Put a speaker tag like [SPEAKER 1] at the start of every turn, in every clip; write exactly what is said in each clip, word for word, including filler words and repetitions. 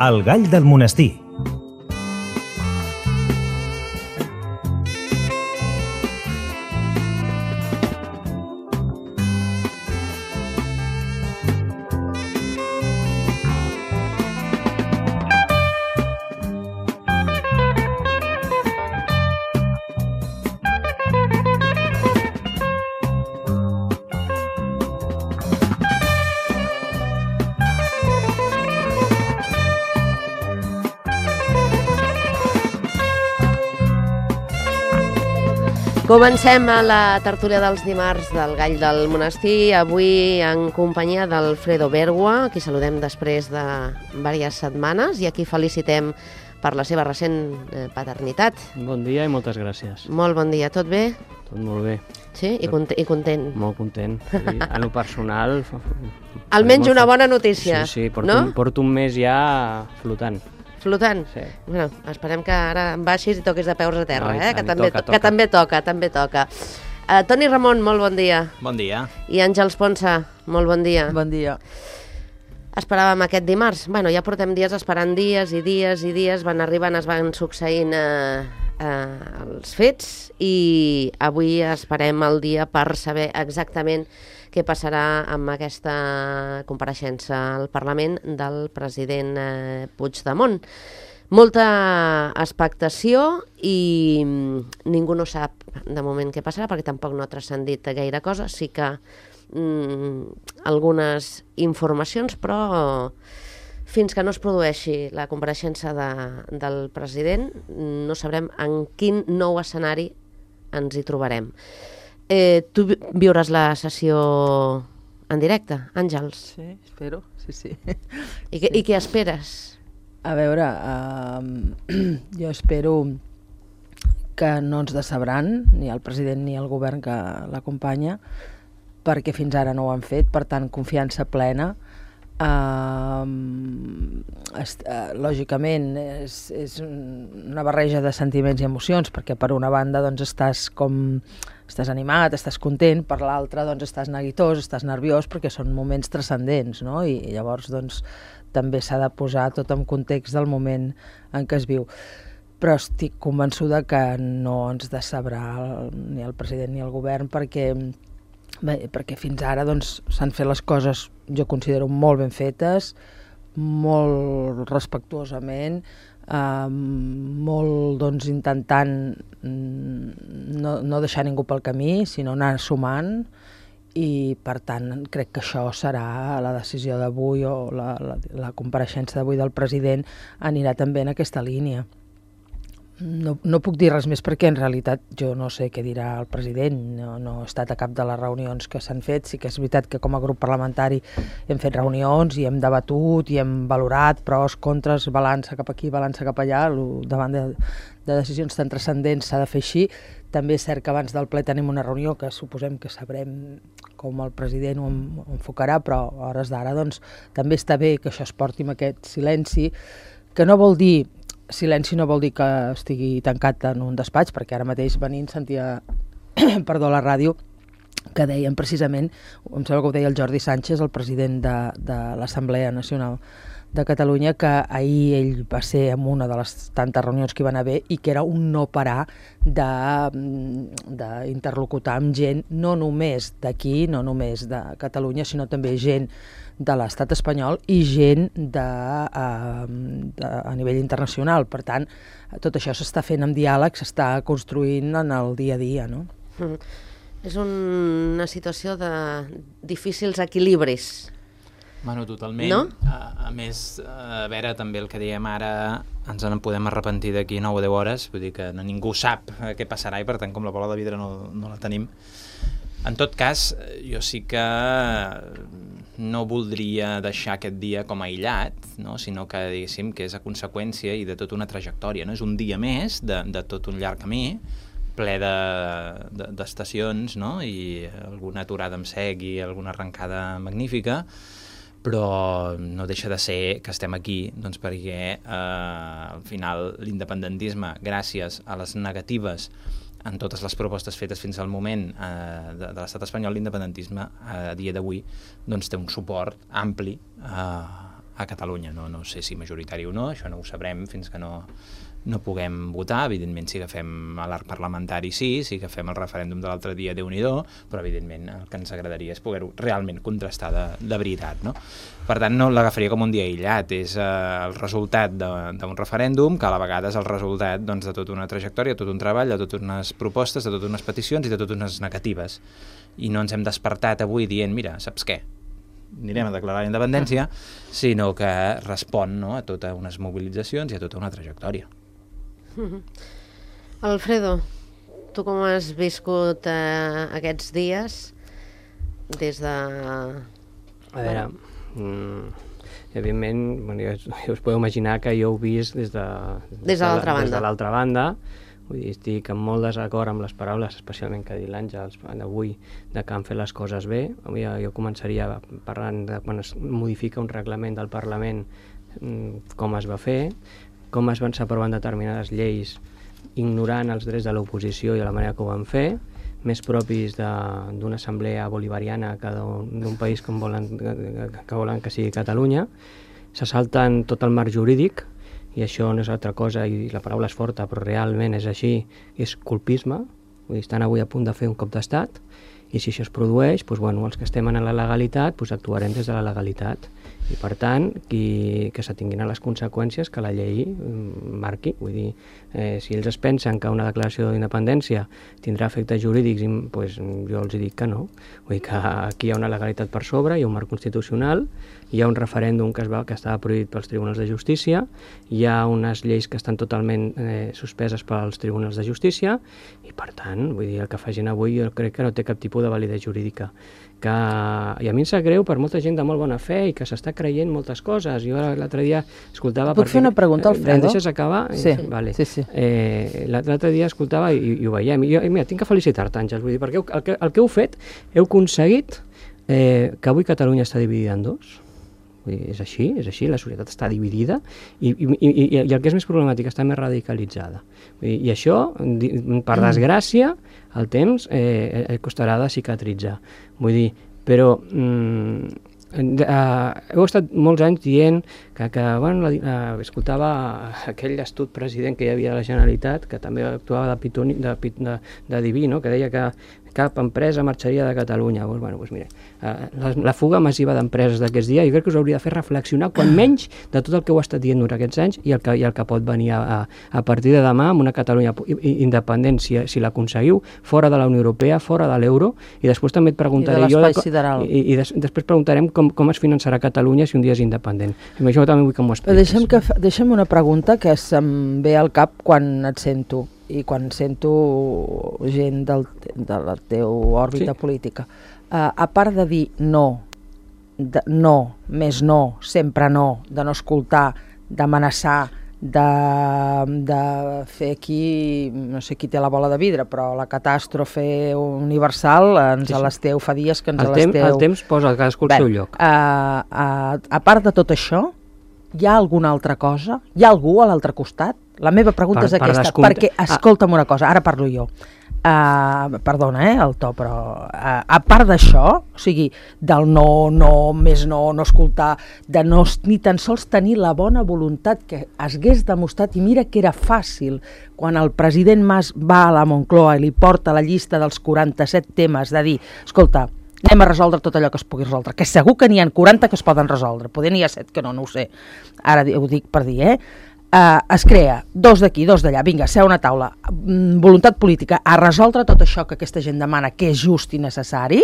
[SPEAKER 1] El gall del monestir.
[SPEAKER 2] Comencem a la tertúlia dels dimarts del Gall del Monestir, avui en companyia d'Alfredo Bergua, a qui saludem després de diverses setmanes i a qui felicitem per la seva recent paternitat.
[SPEAKER 3] Bon dia i moltes gràcies.
[SPEAKER 2] Molt bon dia, tot bé?
[SPEAKER 3] Tot molt bé.
[SPEAKER 2] Sí? I, cont i content?
[SPEAKER 3] Molt content. I en lo personal...
[SPEAKER 2] Almenys una bona notícia,
[SPEAKER 3] sí, sí, porto,
[SPEAKER 2] no?
[SPEAKER 3] un, porto un mes ja flotant.
[SPEAKER 2] Flotant?
[SPEAKER 3] Sí.
[SPEAKER 2] Bueno, esperem que ara baixis i toquis de peus a terra,
[SPEAKER 3] no,
[SPEAKER 2] eh?
[SPEAKER 3] tant,
[SPEAKER 2] que, també,
[SPEAKER 3] toca,
[SPEAKER 2] que
[SPEAKER 3] toca.
[SPEAKER 2] també toca, també toca. Uh, Toni Ramon, molt bon dia.
[SPEAKER 4] Bon dia.
[SPEAKER 2] I Àngels Ponsa, molt bon dia.
[SPEAKER 5] Bon dia.
[SPEAKER 2] Esperàvem aquest dimarts. Bueno, ja portem dies esperant dies i dies i dies, van arribant, es van succeint eh, eh, els fets i avui esperem el dia per saber exactament què passarà amb aquesta compareixença al Parlament del president eh, Puigdemont. Molta expectació i ningú no sap de moment què passarà perquè tampoc no ha transcendit gaire cosa. Sí que mm, algunes informacions, però fins que no es produeixi la compareixença de, del president no sabrem en quin nou escenari ens hi trobarem. Eh, tu viuràs la sessió en directe, Àngels?
[SPEAKER 5] Sí, espero, sí, sí.
[SPEAKER 2] I, que,
[SPEAKER 5] sí.
[SPEAKER 2] I què esperes?
[SPEAKER 5] A veure, uh, jo espero que no ens decebran, ni el president ni el govern que l'acompanya, perquè fins ara no ho han fet, per tant, confiança plena. Uh, est, uh, lògicament és, és una barreja de sentiments i emocions, perquè per una banda doncs, estàs com estàs animat, estàs content, per l'altra doncs, estàs neguitós, estàs nerviós, perquè són moments transcendents, no? I llavors doncs, també s'ha de posar tot en context del moment en què es viu. Però estic convençuda que no ens decebrà el, ni el president ni el govern, perquè Bé, perquè fins ara doncs, s'han fet les coses, jo considero, molt ben fetes, molt respectuosament, eh, molt doncs, intentant no, no deixar ningú pel camí, sinó anar sumant, i per tant crec que això serà la decisió d'avui o la, la, la compareixença d'avui del president anirà també en aquesta línia. No, no puc dir res més perquè en realitat jo no sé què dirà el president, no, no he estat a cap de les reunions que s'han fet. Sí que és veritat que com a grup parlamentari hem fet reunions i hem debatut i hem valorat pros, contres, balança cap aquí, balança cap allà, davant de, de decisions tan transcendents s'ha de fer així. També és cert que abans del ple tenim una reunió que suposem que sabrem com el president ho enfocarà, però a hores d'ara doncs, també està bé que això es porti amb aquest silenci, que no vol dir silenci no vol dir que estigui tancat en un despatx, perquè ara mateix venint sentia perdó, a la ràdio que deien precisament, em sembla que ho deia el Jordi Sánchez, el president de, de l'Assemblea Nacional de Catalunya, que ahir ell va ser en una de les tantes reunions que hi van haver i que era un no parar d'interlocutar amb gent, no només d'aquí, no només de Catalunya, sinó també gent de l'estat espanyol i gent de, uh, de, a nivell internacional. Per tant, tot això s'està fent amb diàleg, s'està construint en el dia a dia, no?
[SPEAKER 2] Mm. És una situació de difícils equilibris.
[SPEAKER 4] Bueno, totalment.
[SPEAKER 2] No?
[SPEAKER 4] A, a més, a veure, també el que diem ara, ens en podem arrepentir d'aquí nou o deu hores, vull dir que ningú sap què passarà i per tant com la bola de vidre no, no la tenim. En tot cas, jo sí que no voldria deixar aquest dia com aïllat, no? Sinó que diguéssim que és a conseqüència i de tota una trajectòria, no? És un dia més de, de tot un llarg camí, ple d'estacions, de, de, no? I alguna aturada amb sec i alguna arrencada magnífica, però no deixa de ser que estem aquí doncs, perquè eh, al final l'independentisme, gràcies a les negatives en totes les propostes fetes fins al moment eh, de, de l'estat espanyol, l'independentisme eh, a dia d'avui doncs, té un suport ampli eh, a Catalunya. No, no sé si majoritari o no, això no ho sabrem fins que no, no puguem votar. Evidentment, si agafem l'arc parlamentari, sí, si agafem el referèndum de l'altre dia, Déu-n'hi-do, però evidentment el que ens agradaria és poder-ho realment contrastar de, de veritat, no? Per tant, no l'agafaria com un dia aïllat, és eh, el resultat d'un referèndum, que a la vegada és el resultat doncs, de tota una trajectòria, de tot un treball, de totes unes propostes, de totes unes peticions i de totes unes negatives. I no ens hem despertat avui dient, mira, saps què? Anirem a declarar la independència, sinó que respon, no?, a totes unes mobilitzacions i a tota una trajectòria.
[SPEAKER 2] Alfredo, tu com has viscut eh, aquests dies des de...
[SPEAKER 3] A veure, mm, evidentment, bueno, ja, ja us podeu imaginar que jo ho he vist des de,
[SPEAKER 2] des de l'altra banda.
[SPEAKER 3] Des de l'altra banda. Vull dir, estic en molt desacord amb les paraules, especialment que ha dit l'Àngels d'avui, de que han fet les coses bé. Avui jo començaria parlant de quan es modifica un reglament del Parlament, com es va fer, com es van aprovant determinades lleis ignorant els drets de l'oposició i de la manera que ho van fer, més propis d'una assemblea bolivariana que d'un país com volen, que volen que sigui Catalunya. Se salten tot el marc jurídic, i això no és altra cosa, i la paraula és forta, però realment és així, és colpisme. Vull dir, estan avui a punt de fer un cop d'estat, i si això es produeix, doncs, bueno, els que estem en la legalitat doncs, actuarem des de la legalitat. I per tant, qui, que se tinguin a les conseqüències que la llei marqui. Vull dir, eh, si ells es pensen que una declaració d'independència tindrà efectes jurídics, doncs, jo els dic que no. Vull dir que aquí hi ha una legalitat per sobre, hi ha un marc constitucional, hi ha un referèndum que, es va, que estava prohibit pels tribunals de justícia, hi ha unes lleis que estan totalment eh, suspeses pels tribunals de justícia, i per tant, vull dir, el que facin avui jo crec que no té cap tipus de validesa jurídica. Que, i a mi em sap greu per molta gent de molt bona fe i que s'està creient moltes coses. Jo l'altre dia escoltava...
[SPEAKER 5] Puc fer una pregunta, Alfredo?
[SPEAKER 3] Eh, deixes acabar?
[SPEAKER 5] Sí,
[SPEAKER 3] vale.
[SPEAKER 5] sí, sí.
[SPEAKER 3] Eh, l'altre dia escoltava i, i ho veiem. I jo, mira, tinc que felicitar-te, Àngels, vull dir, perquè el que, el que heu fet, heu aconseguit eh, que avui Catalunya està dividida en dos. Vull dir, és així, és així, la societat està dividida i, i, i, i el que és més problemàtic està més radicalitzada. Vull dir, i això, per desgràcia, el temps eh, costarà de cicatritzar. Vull dir, però mm, eh, heu estat molts anys dient que, que bueno, la, eh, escoltava aquell astut president que hi havia a la Generalitat, que també actuava de, pitoni, de, de, de diví, no? Que deia que cap empresa marxaria de Catalunya. Pues, bueno, pues mira, la, la fuga massiva d'empreses d'aquests dies, jo crec que us hauria de fer reflexionar quan menys de tot el que heu estat dient durant aquests anys i el que, i el que pot venir a, a partir de demà amb una Catalunya independent, si, si l'aconseguiu, fora de la Unió Europea, fora de l'euro, i després també et preguntaré...
[SPEAKER 5] I de l'espai sideral.
[SPEAKER 3] I, i des, després preguntarem com, com es finançarà Catalunya si un dia és independent. I això també vull que m'ho expliquis.
[SPEAKER 5] Deixem, que, deixem una pregunta que se'm ve al cap quan et sento i quan sento gent del, de la teva òrbita sí. política. Uh, a part de dir no, de, no, més no, sempre no, de no escoltar, d'amenaçar, de, de fer aquí, no sé qui té la bola de vidre, però la catàstrofe universal ens sí, sí. l'esteu, fa dies que ens
[SPEAKER 3] el
[SPEAKER 5] l'esteu...
[SPEAKER 3] Temps, el temps posa cadascú al seu lloc.
[SPEAKER 5] Uh, uh, a part de tot això, hi ha alguna altra cosa? Hi ha algú a l'altre costat? La meva pregunta
[SPEAKER 3] per,
[SPEAKER 5] és aquesta,
[SPEAKER 3] per
[SPEAKER 5] perquè, escolta'm una cosa, ara parlo jo. Uh, perdona, eh, el to, però uh, a part d'això, o sigui, del no, no, més no, no escoltar, de no ni tan sols tenir la bona voluntat que es hagués demostrat, i mira que era fàcil, quan el president Mas va a la Moncloa i li porta la llista dels quaranta-set temes, de dir, escolta, anem a resoldre tot allò que es pugui resoldre, que segur que n'hi ha quaranta que es poden resoldre, poder n'hi ha set que no, no ho sé, ara ho dic per dir, eh? Uh, es crea, dos d'aquí, dos d'allà, vinga, seu a una taula, mm, voluntat política, a resoldre tot això que aquesta gent demana, que és just i necessari,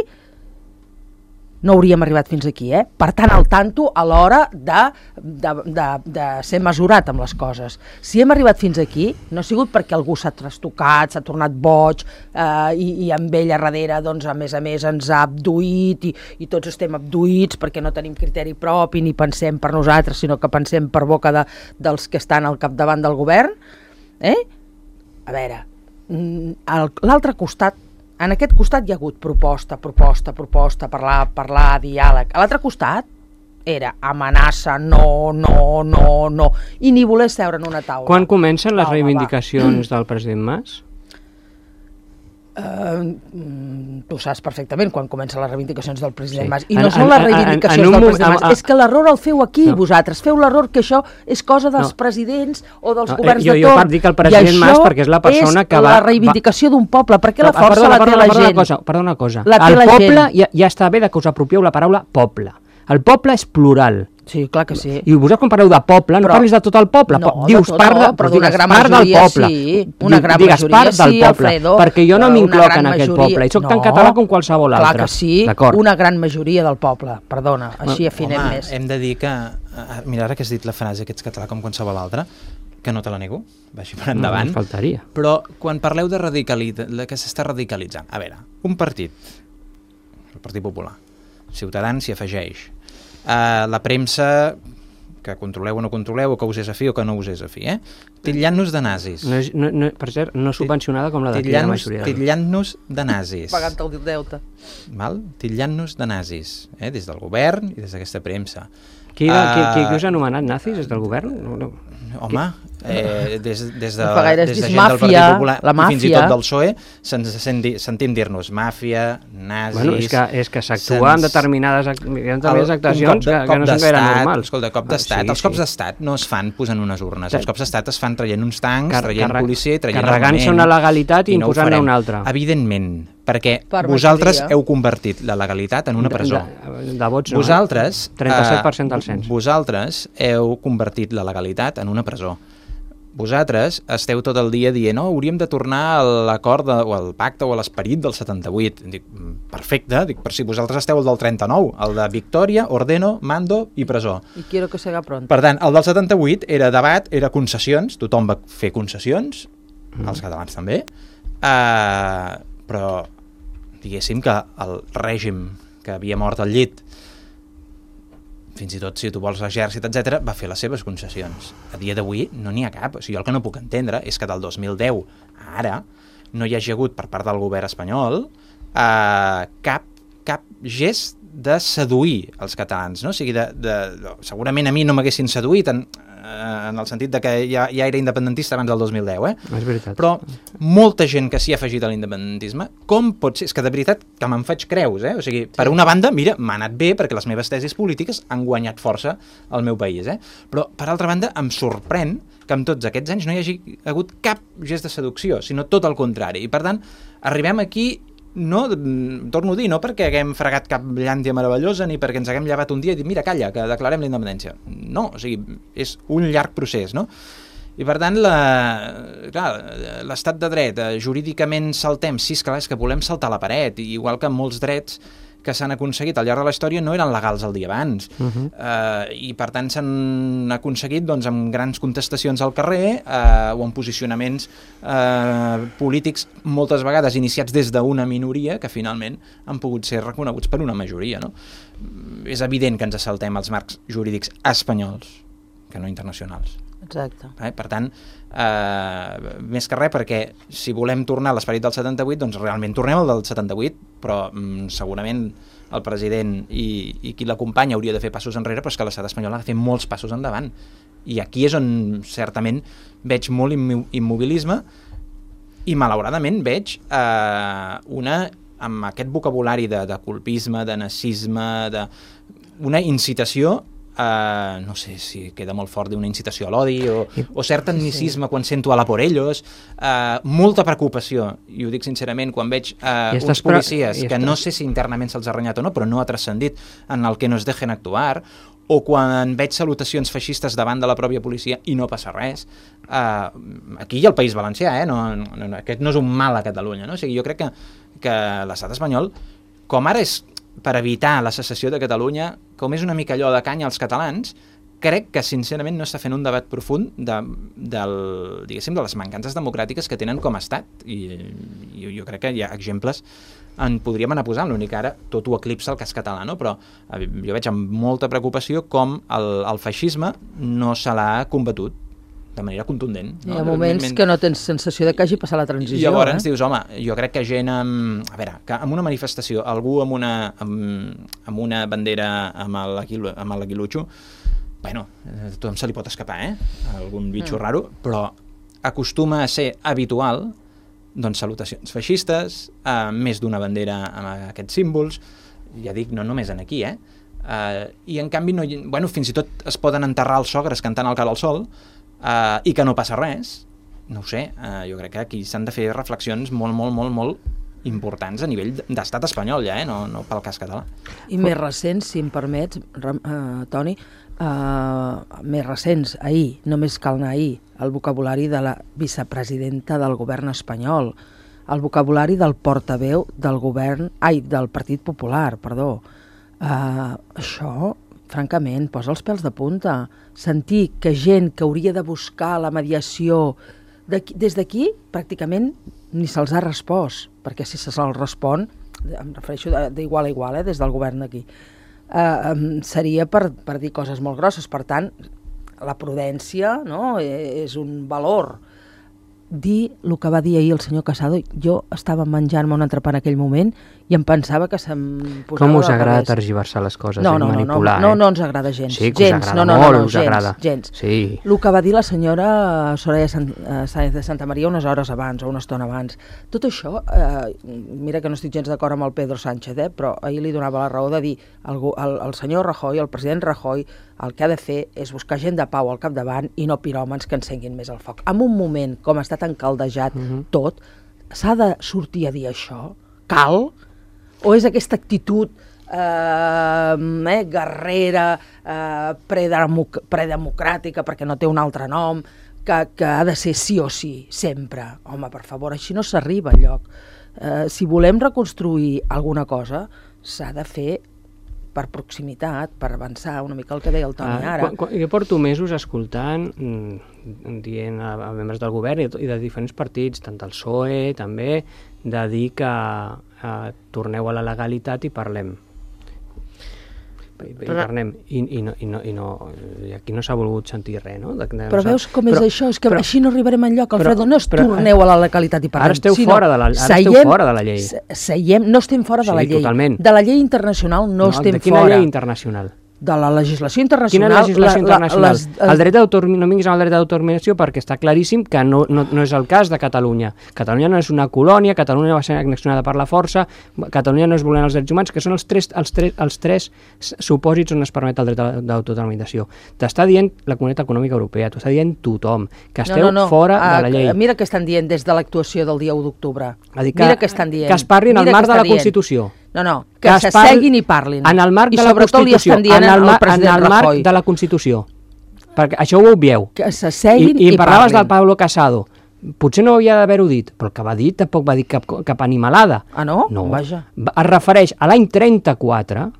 [SPEAKER 5] no hauríem arribat fins aquí, eh? Per tant, al tanto a l'hora de, de, de, de ser mesurat amb les coses. Si hem arribat fins aquí, no ha sigut perquè algú s'ha trastocat, s'ha tornat boig, eh, i, i amb ell a darrere, doncs, a més a més, ens ha abduït, i, i tots estem abduïts perquè no tenim criteri propi, ni pensem per nosaltres, sinó que pensem per boca de, dels que estan al capdavant del govern. Eh? A veure, l'altre costat, en aquest costat hi ha hagut proposta, proposta, proposta, parlar, parlar, diàleg. A l'altre costat era amenaça, no, no, no, no, i ni voler seure en una taula.
[SPEAKER 3] Quan comencen les
[SPEAKER 5] Taula,
[SPEAKER 3] reivindicacions va. del president Mas?
[SPEAKER 5] Uh, tu saps perfectament quan comencen les reivindicacions del president
[SPEAKER 3] Sí.
[SPEAKER 5] Mas, i no
[SPEAKER 3] En-
[SPEAKER 5] són
[SPEAKER 3] en-
[SPEAKER 5] les
[SPEAKER 3] en-
[SPEAKER 5] reivindicacions
[SPEAKER 3] en un
[SPEAKER 5] del
[SPEAKER 3] moment-
[SPEAKER 5] president Mas,
[SPEAKER 3] a- a-
[SPEAKER 5] és que l'error el feu aquí,
[SPEAKER 3] No.
[SPEAKER 5] vosaltres, feu l'error que això és cosa dels
[SPEAKER 3] No.
[SPEAKER 5] presidents o dels
[SPEAKER 3] No, eh,
[SPEAKER 5] governs
[SPEAKER 3] jo-
[SPEAKER 5] de
[SPEAKER 3] jo
[SPEAKER 5] torn.
[SPEAKER 3] part dic el president
[SPEAKER 5] I això
[SPEAKER 3] Mas perquè és la persona que va-
[SPEAKER 5] la reivindicació d'un poble, perquè la
[SPEAKER 3] No,
[SPEAKER 5] força
[SPEAKER 3] perdona,
[SPEAKER 5] la té
[SPEAKER 3] perdona,
[SPEAKER 5] la
[SPEAKER 3] perdona
[SPEAKER 5] gent.
[SPEAKER 3] Una cosa, perdona una cosa.
[SPEAKER 5] La té
[SPEAKER 3] el
[SPEAKER 5] la
[SPEAKER 3] poble,
[SPEAKER 5] gent.
[SPEAKER 3] ja, ja està bé de que us apropieu la paraula poble. El poble és plural.
[SPEAKER 5] Sí, clar que sí.
[SPEAKER 3] I vosaltres quan parleu de poble, no
[SPEAKER 5] Però-
[SPEAKER 3] parlis de tot el poble.
[SPEAKER 5] No,
[SPEAKER 3] po-
[SPEAKER 5] de
[SPEAKER 3] dius
[SPEAKER 5] tot
[SPEAKER 3] part,
[SPEAKER 5] no,
[SPEAKER 3] de,
[SPEAKER 5] però
[SPEAKER 3] doncs
[SPEAKER 5] d'una
[SPEAKER 3] digues
[SPEAKER 5] gran
[SPEAKER 3] part del
[SPEAKER 5] majoria
[SPEAKER 3] poble.
[SPEAKER 5] sí, una
[SPEAKER 3] Di-
[SPEAKER 5] gran
[SPEAKER 3] digues
[SPEAKER 5] majoria
[SPEAKER 3] part del
[SPEAKER 5] sí,
[SPEAKER 3] poble,
[SPEAKER 5] Alfredo,
[SPEAKER 3] perquè jo no
[SPEAKER 5] una
[SPEAKER 3] m'incloc
[SPEAKER 5] gran
[SPEAKER 3] en aquest
[SPEAKER 5] majoria-
[SPEAKER 3] poble i sóc tan
[SPEAKER 5] No,
[SPEAKER 3] català com qualsevol altre.
[SPEAKER 5] Clar que sí,
[SPEAKER 3] D'acord.
[SPEAKER 5] una gran majoria del poble, perdona, així afinem
[SPEAKER 4] Home,
[SPEAKER 5] més.
[SPEAKER 4] hem de dir que... eh, Mira, ara que has dit la frase que ets català com qualsevol altre, que no te la nego, vagi per endavant,
[SPEAKER 3] No, faltaria.
[SPEAKER 4] però quan parleu de radicalitat, que s'està radicalitzant, a veure, un partit, el Partit Popular, Ciutadans s'hi afegeix, uh, la premsa que controleu o no controleu, o que us és afí o que no us és afí, eh? Titllant-nos de nazis.
[SPEAKER 3] No és, no, no, per cert, no subvencionada com la d'aquí la
[SPEAKER 4] Titllant-nos
[SPEAKER 3] majoria. de-
[SPEAKER 4] titllant-nos de nazis.
[SPEAKER 5] Pagant el deute.
[SPEAKER 4] Val? Titllant-nos de nazis, eh? Des del govern i des d'aquesta premsa.
[SPEAKER 3] Qui, va, qui, qui,
[SPEAKER 4] Ah,
[SPEAKER 3] qui us ha anomenat nazis des del govern? No, no.
[SPEAKER 4] Home, eh, des, des de,
[SPEAKER 5] No fa gaire,
[SPEAKER 4] des de
[SPEAKER 5] has
[SPEAKER 4] gent
[SPEAKER 5] dit
[SPEAKER 4] del Partit
[SPEAKER 5] màfia,
[SPEAKER 4] Popular
[SPEAKER 5] la
[SPEAKER 4] i fins i
[SPEAKER 5] màfia.
[SPEAKER 4] tot del P S O E se'ns senti, sentim dir-nos màfia, nazis...
[SPEAKER 3] Bueno, és que, és que s'actua amb
[SPEAKER 4] se'ns-
[SPEAKER 3] determinades, act- determinades
[SPEAKER 4] El-
[SPEAKER 3] actuacions
[SPEAKER 4] un cop de-
[SPEAKER 3] que,
[SPEAKER 4] cop
[SPEAKER 3] que no són gaire
[SPEAKER 4] d'estat,
[SPEAKER 3] normals.
[SPEAKER 4] Escolta, cop d'estat.
[SPEAKER 3] Ah, sí,
[SPEAKER 4] els cops
[SPEAKER 3] sí.
[SPEAKER 4] d'estat no es fan posant unes urnes. Els
[SPEAKER 3] Sí.
[SPEAKER 4] cops d'estat es fan traient uns tancs,
[SPEAKER 3] Car-
[SPEAKER 4] traient
[SPEAKER 3] carreg-
[SPEAKER 4] policia i traient
[SPEAKER 3] carregant-se
[SPEAKER 4] armament.
[SPEAKER 3] una legalitat i
[SPEAKER 4] no ho
[SPEAKER 3] imposant-ne
[SPEAKER 4] farem.
[SPEAKER 3] una altra.
[SPEAKER 4] Evidentment, perquè
[SPEAKER 5] Per
[SPEAKER 4] vosaltres
[SPEAKER 5] majoria.
[SPEAKER 4] heu convertit la legalitat en una presó.
[SPEAKER 3] De, de vots no.
[SPEAKER 4] Vosaltres...
[SPEAKER 3] eh? trenta-set per cent
[SPEAKER 4] eh,
[SPEAKER 3] del cens.
[SPEAKER 4] Vosaltres heu convertit la legalitat en una presó. Vosaltres esteu tot el dia dient no, hauríem de tornar a l'acord de- o al pacte o a l'esperit del setanta-vuit. Dic, perfecte, dic, per si vosaltres esteu el del trenta-nou, el de victòria, ordeno, mando i presó.
[SPEAKER 5] I quiero que se haga pronto.
[SPEAKER 4] Per tant, el del setanta-vuit era debat, era concessions, tothom va fer concessions, els catalans també, uh, però diguéssim que el règim que havia mort al llit, fins i tot si tu vols l'exèrcit, etcètera, va fer les seves concessions. A dia d'avui no n'hi ha cap. O sigui, jo el que no puc entendre és que del dos mil deu a ara no hi hagi hagut per part del govern espanyol uh, cap, cap gest de seduir els catalans, no? O sigui, de, de, de, segurament a mi no m'haguessin seduït en, en el sentit de que ja, ja era independentista abans del dos mil deu, eh?
[SPEAKER 3] És veritat.
[SPEAKER 4] Però molta gent que s'hi ha afegit a l'independentisme, com pot ser? És que de veritat que me'n faig creus, eh? O sigui, per una banda, mira, m'ha anat bé perquè les meves tesis polítiques han guanyat força al meu país, eh? Però, per altra banda, em sorprèn que en tots aquests anys no hi hagi hagut cap gest de seducció, sinó tot el contrari. I, per tant, arribem aquí no, torno a dir, no perquè haguem fregat cap llàntia meravellosa ni perquè ens haguem llevat un dia i dit, mira, calla, que declarem la independència. No, o sigui, és un llarg procés, no? I per tant, l'estat de dret, eh, jurídicament saltem, sí, esclar, és que volem saltar la paret, igual que molts drets que s'han aconseguit al llarg de la història no eren legals el dia abans. Uh -huh. eh, I per tant s'han aconseguit doncs, amb grans contestacions al carrer eh, o amb posicionaments eh, polítics moltes vegades iniciats des d'una minoria que finalment han pogut ser reconeguts per una majoria. No? És evident que ens saltem els marcs jurídics espanyols que no internacionals.
[SPEAKER 5] Exacte.
[SPEAKER 4] Eh? Per tant, eh, més que res, perquè si volem tornar a l'esperit del setanta-vuit, doncs realment tornem al del setanta-vuit, però mm, segurament el president i, i qui l'acompanya hauria de fer passos enrere, però és que l'estat espanyol ha de fer molts passos endavant. I aquí és on certament veig molt immobilisme i malauradament veig eh, una, amb aquest vocabulari de, de colpisme, de nazisme, de, una incitació Uh, no sé si queda molt fort d'una incitació a l'odi o, o cert tecnicisme sí. Quan sento a la por ellos, uh, molta preocupació, i ho dic sincerament, quan veig uh, uns policies que no sé si internament se'ls ha renyat o no, però no ha transcendit en el que no es dejen actuar, o quan veig salutacions feixistes davant de la pròpia policia i no passa res. Uh, aquí hi ha el País Valencià, eh? no, no, no, aquest no és un mal a Catalunya, no? O sigui, jo crec que, que l'estat espanyol, com ara és per evitar la secessió de Catalunya, com és una mica allò de canya als catalans, crec que sincerament no està fent un debat profund de, del, diguéssim, de les mancances democràtiques que tenen com a estat. I, i jo crec que hi ha exemples en podríem anar posant, l'únic ara tot ho eclipsa el cas català, no? Però jo veig amb molta preocupació com el, el feixisme no se l'ha combatut de manera contundent.
[SPEAKER 5] No? Hi ha moments que no tens sensació de que hagi passat la transició.
[SPEAKER 4] I llavors
[SPEAKER 5] eh?
[SPEAKER 4] dius, home, jo crec que gent amb... A veure, que amb una manifestació, algú amb una, amb, amb una bandera amb l'aguilutxo, bueno, a tothom se li pot escapar, eh? Algun bitxo mm. raro, però acostuma a ser habitual doncs, salutacions feixistes, uh, més d'una bandera amb aquests símbols, ja dic, no només en aquí, eh? Uh, I en canvi, no, bueno, fins i tot es poden enterrar els sogres cantant el Cara al Sol, uh, i que no passa res. No ho sé, uh, jo crec que aquí s'han de fer reflexions molt, molt, molt, molt importants a nivell d'estat espanyol ja, eh? no, no pel cas català.
[SPEAKER 5] I més recents, si em permets, uh, Toni, uh, més recents, ahir, només cal anar ahir, el vocabulari de la vicepresidenta del govern espanyol, el vocabulari del portaveu del govern, ai, del Partit Popular, perdó. Uh, això, francament, posa els pèls de punta. Sentir que gent que hauria de buscar la mediació des d'aquí, pràcticament ni se'ls ha respost, perquè si se'ls respon, em refereixo d'igual a igual, eh, des del govern d'aquí, uh, um, seria per, per dir coses molt grosses. Per tant, la prudència, no?, és un valor. Dir el que va dir ahir el senyor Casado, jo estava menjant-me un entrepà en aquell moment i em pensava que se'm posava...
[SPEAKER 3] Com us agrada tergiversar les coses,
[SPEAKER 5] no,
[SPEAKER 3] no,
[SPEAKER 5] no,
[SPEAKER 3] manipular,
[SPEAKER 5] no, no,
[SPEAKER 3] eh?
[SPEAKER 5] no ens agrada gens.
[SPEAKER 3] Sí, que
[SPEAKER 5] gens.
[SPEAKER 3] us agrada
[SPEAKER 5] no, no,
[SPEAKER 3] molt,
[SPEAKER 5] no, no,
[SPEAKER 3] us
[SPEAKER 5] gens,
[SPEAKER 3] agrada.
[SPEAKER 5] Gens.
[SPEAKER 3] Sí.
[SPEAKER 5] El que va dir la senyora Soraya Sáenz de Santa Maria unes hores abans o una estona abans, tot això, eh, mira que no estic gens d'acord amb el Pedro Sánchez, eh, però ahir li donava la raó de dir el, el, el senyor Rajoy, el president Rajoy, el que ha de fer és buscar gent de pau al capdavant i no piròmans que encenguin més el foc. En un moment com està tan caldejat uh-huh. tot, s'ha de sortir a dir això? Cal? O és aquesta actitud eh, eh, guerrera, eh, predemoc predemocràtica, perquè no té un altre nom, que, que ha de ser sí o sí, sempre? Home, per favor, així no s'arriba enlloc. Eh, si volem reconstruir alguna cosa, s'ha de fer per proximitat, per avançar una mica el que deia el Toni
[SPEAKER 3] ah,
[SPEAKER 5] ara.
[SPEAKER 3] Quan, quan, jo porto mesos escoltant, mmm, dient a, a membres del govern i, i de diferents partits, tant del P S O E també, de dir que eh, torneu a la legalitat i parlem. I, i parlem. I, i, no, i, no, i, no, i aquí no s'ha volgut sentir res, no? De, de,
[SPEAKER 5] però veus com
[SPEAKER 3] però,
[SPEAKER 5] és això? És que
[SPEAKER 3] però,
[SPEAKER 5] així no arribarem enlloc, Alfredo.
[SPEAKER 3] Però,
[SPEAKER 5] no es
[SPEAKER 3] però,
[SPEAKER 5] torneu a la legalitat i parlem.
[SPEAKER 3] Ara esteu,
[SPEAKER 5] sinó,
[SPEAKER 3] fora, de la, ara
[SPEAKER 5] seiem,
[SPEAKER 3] esteu fora de la llei.
[SPEAKER 5] Seiem, no estem fora de
[SPEAKER 3] sí,
[SPEAKER 5] la llei.
[SPEAKER 3] Totalment.
[SPEAKER 5] De la llei internacional no,
[SPEAKER 3] no
[SPEAKER 5] estem
[SPEAKER 3] de quina
[SPEAKER 5] fora.
[SPEAKER 3] Llei internacional?
[SPEAKER 5] De la legislació internacional.
[SPEAKER 3] Quina legislació
[SPEAKER 5] la,
[SPEAKER 3] internacional?
[SPEAKER 5] La, les,
[SPEAKER 3] el dret d'autodeterminació, no vinguis amb el dret d'autodeterminació perquè està claríssim que no, no, no és el cas de Catalunya. Catalunya no és una colònia, Catalunya va ser annexionada per la força, Catalunya no és vulnerar els drets humans, que són els tres, els tres, els tres supòsits on es permet el dret d'autodeterminació. T'està dient la Comunitat Econòmica Europea, t'ho està dient tothom, que esteu
[SPEAKER 5] no, no, no.
[SPEAKER 3] fora
[SPEAKER 5] uh,
[SPEAKER 3] de la llei.
[SPEAKER 5] Mira què estan dient des de l'actuació del dia u d'octubre.
[SPEAKER 3] Mira
[SPEAKER 5] què estan dient.
[SPEAKER 3] Que es parli en el marc de la
[SPEAKER 5] dient.
[SPEAKER 3] Constitució.
[SPEAKER 5] No, no, que,
[SPEAKER 3] que
[SPEAKER 5] s'asseguin i parlin.
[SPEAKER 3] En el marc
[SPEAKER 5] I
[SPEAKER 3] de la Constitució,
[SPEAKER 5] li estan dient
[SPEAKER 3] en el,
[SPEAKER 5] al president
[SPEAKER 3] en el marc
[SPEAKER 5] Rajoy.
[SPEAKER 3] de la Constitució. Perquè això ho obvieu.
[SPEAKER 5] Que s'asseguin
[SPEAKER 3] I, i,
[SPEAKER 5] i,
[SPEAKER 3] i parlaves
[SPEAKER 5] parlin.
[SPEAKER 3] del Pablo Casado. Potser no havia d'haver-ho dit, però el que va dir tampoc va dir cap, cap animalada.
[SPEAKER 5] Ah, no?
[SPEAKER 3] No.
[SPEAKER 5] Vaja.
[SPEAKER 3] Es refereix a l'any trenta-quatre,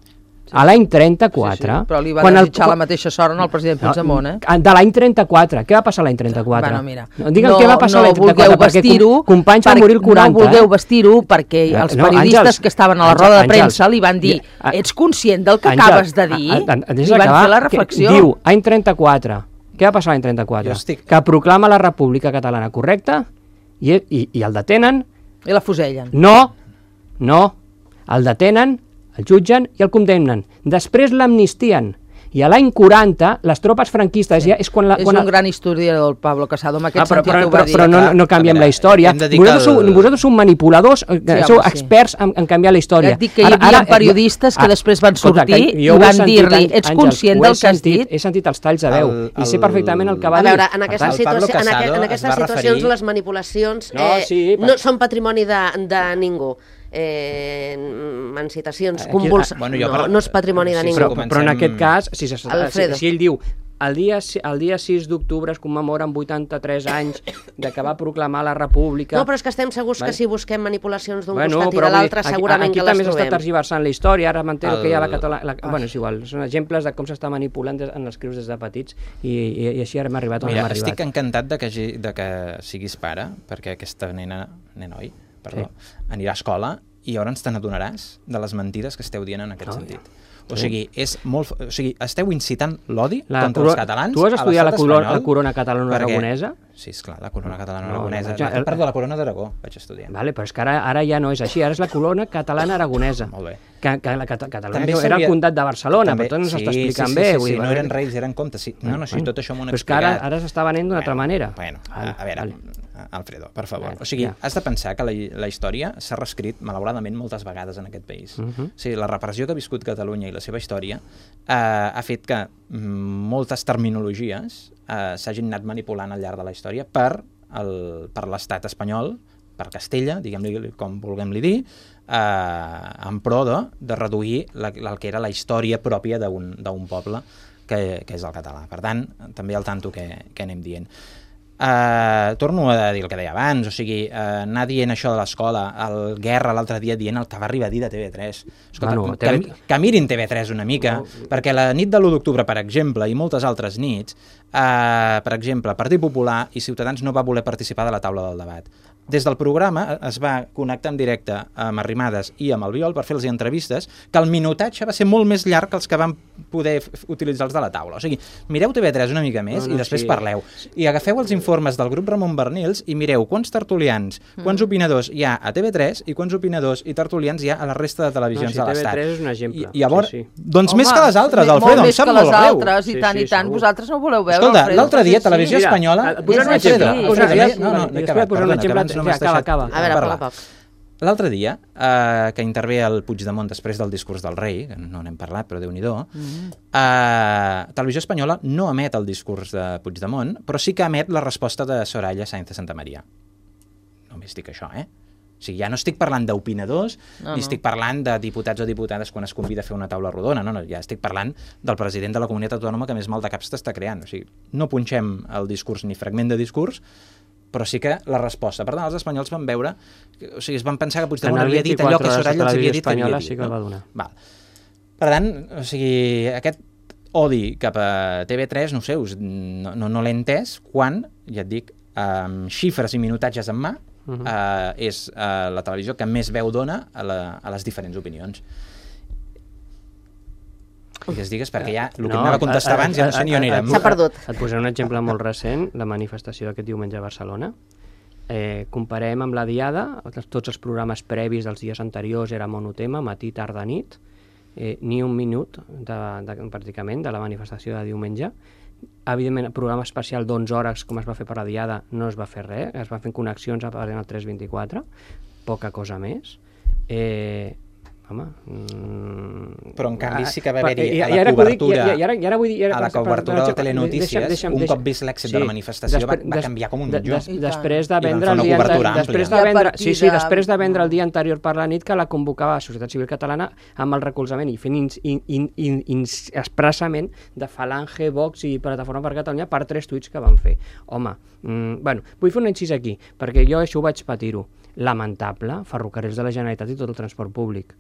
[SPEAKER 3] a l'any trenta-quatre...
[SPEAKER 5] Sí, sí, però li va
[SPEAKER 3] quan
[SPEAKER 5] desitjar
[SPEAKER 3] el,
[SPEAKER 5] la mateixa sort al president Puigdemont, eh?
[SPEAKER 3] De l'any trenta-quatre. Què va passar l'any trenta-quatre?
[SPEAKER 5] Bueno, mira,
[SPEAKER 3] no, digue'm
[SPEAKER 5] no,
[SPEAKER 3] què va passar
[SPEAKER 5] no
[SPEAKER 3] l'any trenta-quatre, perquè com, companys van morir el quaranta.
[SPEAKER 5] No vulgueu
[SPEAKER 3] eh?
[SPEAKER 5] vestir-ho perquè els
[SPEAKER 3] no,
[SPEAKER 5] periodistes
[SPEAKER 3] Àngels,
[SPEAKER 5] que estaven a la
[SPEAKER 3] Àngels,
[SPEAKER 5] roda de
[SPEAKER 3] Àngels,
[SPEAKER 5] premsa li van dir
[SPEAKER 3] ja,
[SPEAKER 5] ets conscient del que
[SPEAKER 3] Àngels,
[SPEAKER 5] acabes de dir?
[SPEAKER 3] A, a, a,
[SPEAKER 5] I van
[SPEAKER 3] acabar,
[SPEAKER 5] fer la reflexió.
[SPEAKER 3] Diu, any trenta-quatre. Què va passar l'any trenta-quatre?
[SPEAKER 4] Estic...
[SPEAKER 3] Que proclama la República Catalana, correcte? I, i, i el detenen?
[SPEAKER 5] I la fusellen.
[SPEAKER 3] No, no. El detenen, el jutgen i el condemnen. Després l'amnistien. I a l'any quaranta, les tropes franquistes sí. ja és quan... La,
[SPEAKER 5] és
[SPEAKER 3] quan
[SPEAKER 5] un gran historiador, el Pablo Casado, en aquest
[SPEAKER 3] ah, però,
[SPEAKER 5] sentit
[SPEAKER 3] però,
[SPEAKER 5] ho va
[SPEAKER 3] però,
[SPEAKER 5] dir.
[SPEAKER 3] però no, no canviem veure, la història. Vosaltres sou, vosaltres sou manipuladors, sí, sou home, experts sí. en, en canviar la història.
[SPEAKER 5] Ja et dic que hi havia ara, periodistes ara, que després van sortir i van dir-li ets conscient del que has dit?
[SPEAKER 3] He sentit els talls de veu el, el, i sé perfectament el que va
[SPEAKER 2] dir. A veure, en,
[SPEAKER 3] aquesta
[SPEAKER 2] situació, en, aqu en aquestes situacions referir... les manipulacions
[SPEAKER 3] no,
[SPEAKER 2] eh,
[SPEAKER 3] sí,
[SPEAKER 2] no són patrimoni de, de ningú. Eh, en citacions convuls...
[SPEAKER 4] Bueno,
[SPEAKER 2] no,
[SPEAKER 4] per...
[SPEAKER 2] no és patrimoni de ningú.
[SPEAKER 3] Però, comencem... però en aquest cas, si, si, si, si ell diu el dia, el dia sis d'octubre es commemoren vuitanta-tres anys de que va proclamar la República...
[SPEAKER 2] No, però és que estem segurs vale. que si busquem manipulacions d'un
[SPEAKER 3] bueno,
[SPEAKER 2] costat i de l'altre segurament
[SPEAKER 3] aquí,
[SPEAKER 2] que les
[SPEAKER 3] trobem. Aquí també s'està
[SPEAKER 2] tergiversant
[SPEAKER 3] la història, ara m'entero
[SPEAKER 4] el...
[SPEAKER 3] que hi ha la catalana... La... Bueno, és igual, són exemples de com s'està manipulant des, en els crius des de petits i, i, i així ara hem arribat on
[SPEAKER 4] Mira,
[SPEAKER 3] hem arribat.
[SPEAKER 4] Estic encantat de que, de que siguis pare, perquè aquesta nena, nena oi, perdó, sí. anirà a escola i llavors te n'adonaràs de les mentides que esteu dient en aquest oh, sentit. O sigui, és molt, o sigui, esteu incitant l'odi contra els catalans.
[SPEAKER 3] Tu has estudiat la corona, la corona catalana aragonesa?
[SPEAKER 4] Sí, esclar, la corona catalana no, aragonesa. No, no, perdó, la corona d'Aragó vaig estudiar.
[SPEAKER 3] Vale, però és que ara, ara ja no és així, ara és la corona catalana aragonesa.
[SPEAKER 4] Molt bé.
[SPEAKER 3] Que, que la Cata Catalunya també era el comtat de Barcelona, també, però tot no s'està sí, explicant
[SPEAKER 4] sí, sí,
[SPEAKER 3] bé.
[SPEAKER 4] Sí,
[SPEAKER 3] vull
[SPEAKER 4] sí,
[SPEAKER 3] dir,
[SPEAKER 4] no eren reis, eren comtes. Sí. No, no, sí, tot això m'ho han
[SPEAKER 3] explicat. Però és que ara,
[SPEAKER 4] ara
[SPEAKER 3] s'està venent d'una altra manera.
[SPEAKER 4] Bueno, a, a veure, Alfredo, per favor. O sigui, has de pensar que la, la història s'ha reescrit, malauradament, moltes vegades en aquest país. Uh -huh. O sigui, la repressió que ha viscut Catalunya i la seva història eh, ha fet que moltes terminologies eh, s'hagin anat manipulant al llarg de la història per, el, per l'estat espanyol, per Castella, diguem-li com vulguem-li dir, eh, en pro de, de reduir la, el que era la història pròpia d'un poble que, que és el català. Per tant, també al tanto que, que anem dient. Uh, torno a dir el que deia abans, o sigui, uh, anar dient això de l'escola, el Guerra l'altre dia dient el que va arribar a dir de T V tres. Escolta, bueno, que, T V... que mirin T V tres una mica, no. Perquè la nit de l'u d'octubre, per exemple, i moltes altres nits, uh, per exemple, Partit Popular i Ciutadans no va voler participar de la taula del debat. Des del programa es va connectar en directe amb Arrimadas i amb Albiol per fer-los entrevistes, que el minutatge va ser molt més llarg que els que van poder utilitzar els de la taula. O sigui, mireu T V tres una mica més no, no, i després sí. parleu. I agafeu els informes del grup Ramon Bernils i mireu quants tertulians, quants opinadors hi ha a T V tres i quants opinadors i tertulians hi ha a la resta de televisions
[SPEAKER 3] no, sí,
[SPEAKER 4] de l'Estat.
[SPEAKER 3] T V tres és un exemple.
[SPEAKER 4] I, i llavors,
[SPEAKER 3] sí, sí.
[SPEAKER 4] doncs Home, més que les altres, Alfredo, em sap molt greu.
[SPEAKER 5] Molt més que les altres, i
[SPEAKER 3] sí,
[SPEAKER 5] tant,
[SPEAKER 3] sí,
[SPEAKER 5] i tant.
[SPEAKER 3] segur.
[SPEAKER 5] Vosaltres no voleu veure,
[SPEAKER 4] Escolta,
[SPEAKER 5] Alfredo.
[SPEAKER 4] l'altre dia, Televisió
[SPEAKER 3] Mira,
[SPEAKER 4] Espanyola...
[SPEAKER 3] Posar un exemple.
[SPEAKER 4] No, no, no,
[SPEAKER 3] no, posar un exemple. Ja, acaba, acaba.
[SPEAKER 2] A veure, a poc a poc.
[SPEAKER 4] L'altre dia, eh, que intervé el Puigdemont després del discurs del rei, que no n'hem parlat, però Déu-n'hi-do, mm. eh, Televisió Espanyola no emet el discurs de Puigdemont, però sí que emet la resposta de Soraya Sáenz de Santamaría. Només dic això, eh? O sigui, ja no estic parlant d'opinadors, no, ni no. estic parlant de diputats o diputades quan es convida a fer una taula rodona, no, no, ja estic parlant del president de la comunitat autònoma que més mal de caps t'està creant. O sigui, no punxem el discurs ni fragment de discurs, però sí que la resposta. Per tant, els espanyols van veure, o sigui, es van pensar que Puigdemont havia dit allò que Soraya els havia dit que havia dit.
[SPEAKER 3] Sí que el va donar.
[SPEAKER 4] Val. Per tant, o sigui, aquest odi cap a T V tres, no ho sé, us, no, no, no l'he entès, quan, ja et dic, amb xifres i minutatges en mà, uh -huh. uh, és uh, la televisió que més veu dona a, la, a les diferents opinions. Digues, digues, perquè ja el que no, anava a contestar abans ja no sé ni on érem.
[SPEAKER 2] S'ha perdut.
[SPEAKER 3] Et posaré un exemple molt recent, la manifestació d'aquest diumenge a Barcelona. Eh, comparem amb la diada, tots els programes previs dels dies anteriors era monotema, matí, tarda, nit, eh, ni un minut de, de, pràcticament de la manifestació de diumenge. Evidentment, el programa especial d'onze hores, com es va fer per la diada, no es va fer res, es va fer connexions a el tres vint-i-quatre, poca cosa més. Eh, home... Mm,
[SPEAKER 4] però en canvi sí que va haver-hi a la cobertura,
[SPEAKER 3] dic, i, i, i ara, i ara vull dir, ara,
[SPEAKER 4] a la cobertura de Telenotícies,
[SPEAKER 3] deixa'm, deixa'm,
[SPEAKER 4] un
[SPEAKER 3] deixa'm,
[SPEAKER 4] cop vist l'èxit sí, de la manifestació
[SPEAKER 3] després,
[SPEAKER 4] va, va canviar com un mitjó.
[SPEAKER 3] Des, després de vendre el
[SPEAKER 4] dia
[SPEAKER 3] anterior, després de vendre, sí, sí,
[SPEAKER 5] de...
[SPEAKER 3] després de vendre el dia anterior per la nit que la convocava la Societat Civil Catalana amb el recolzament i fent in, in, in, in, in, expressament de Falange, Vox i Plataforma per Catalunya per tres tuits que van fer. Home, mm, bueno, vull fer un incís aquí, perquè jo això ho vaig patir-ho. Lamentable, Ferrocarrils de la Generalitat i tot el transport públic.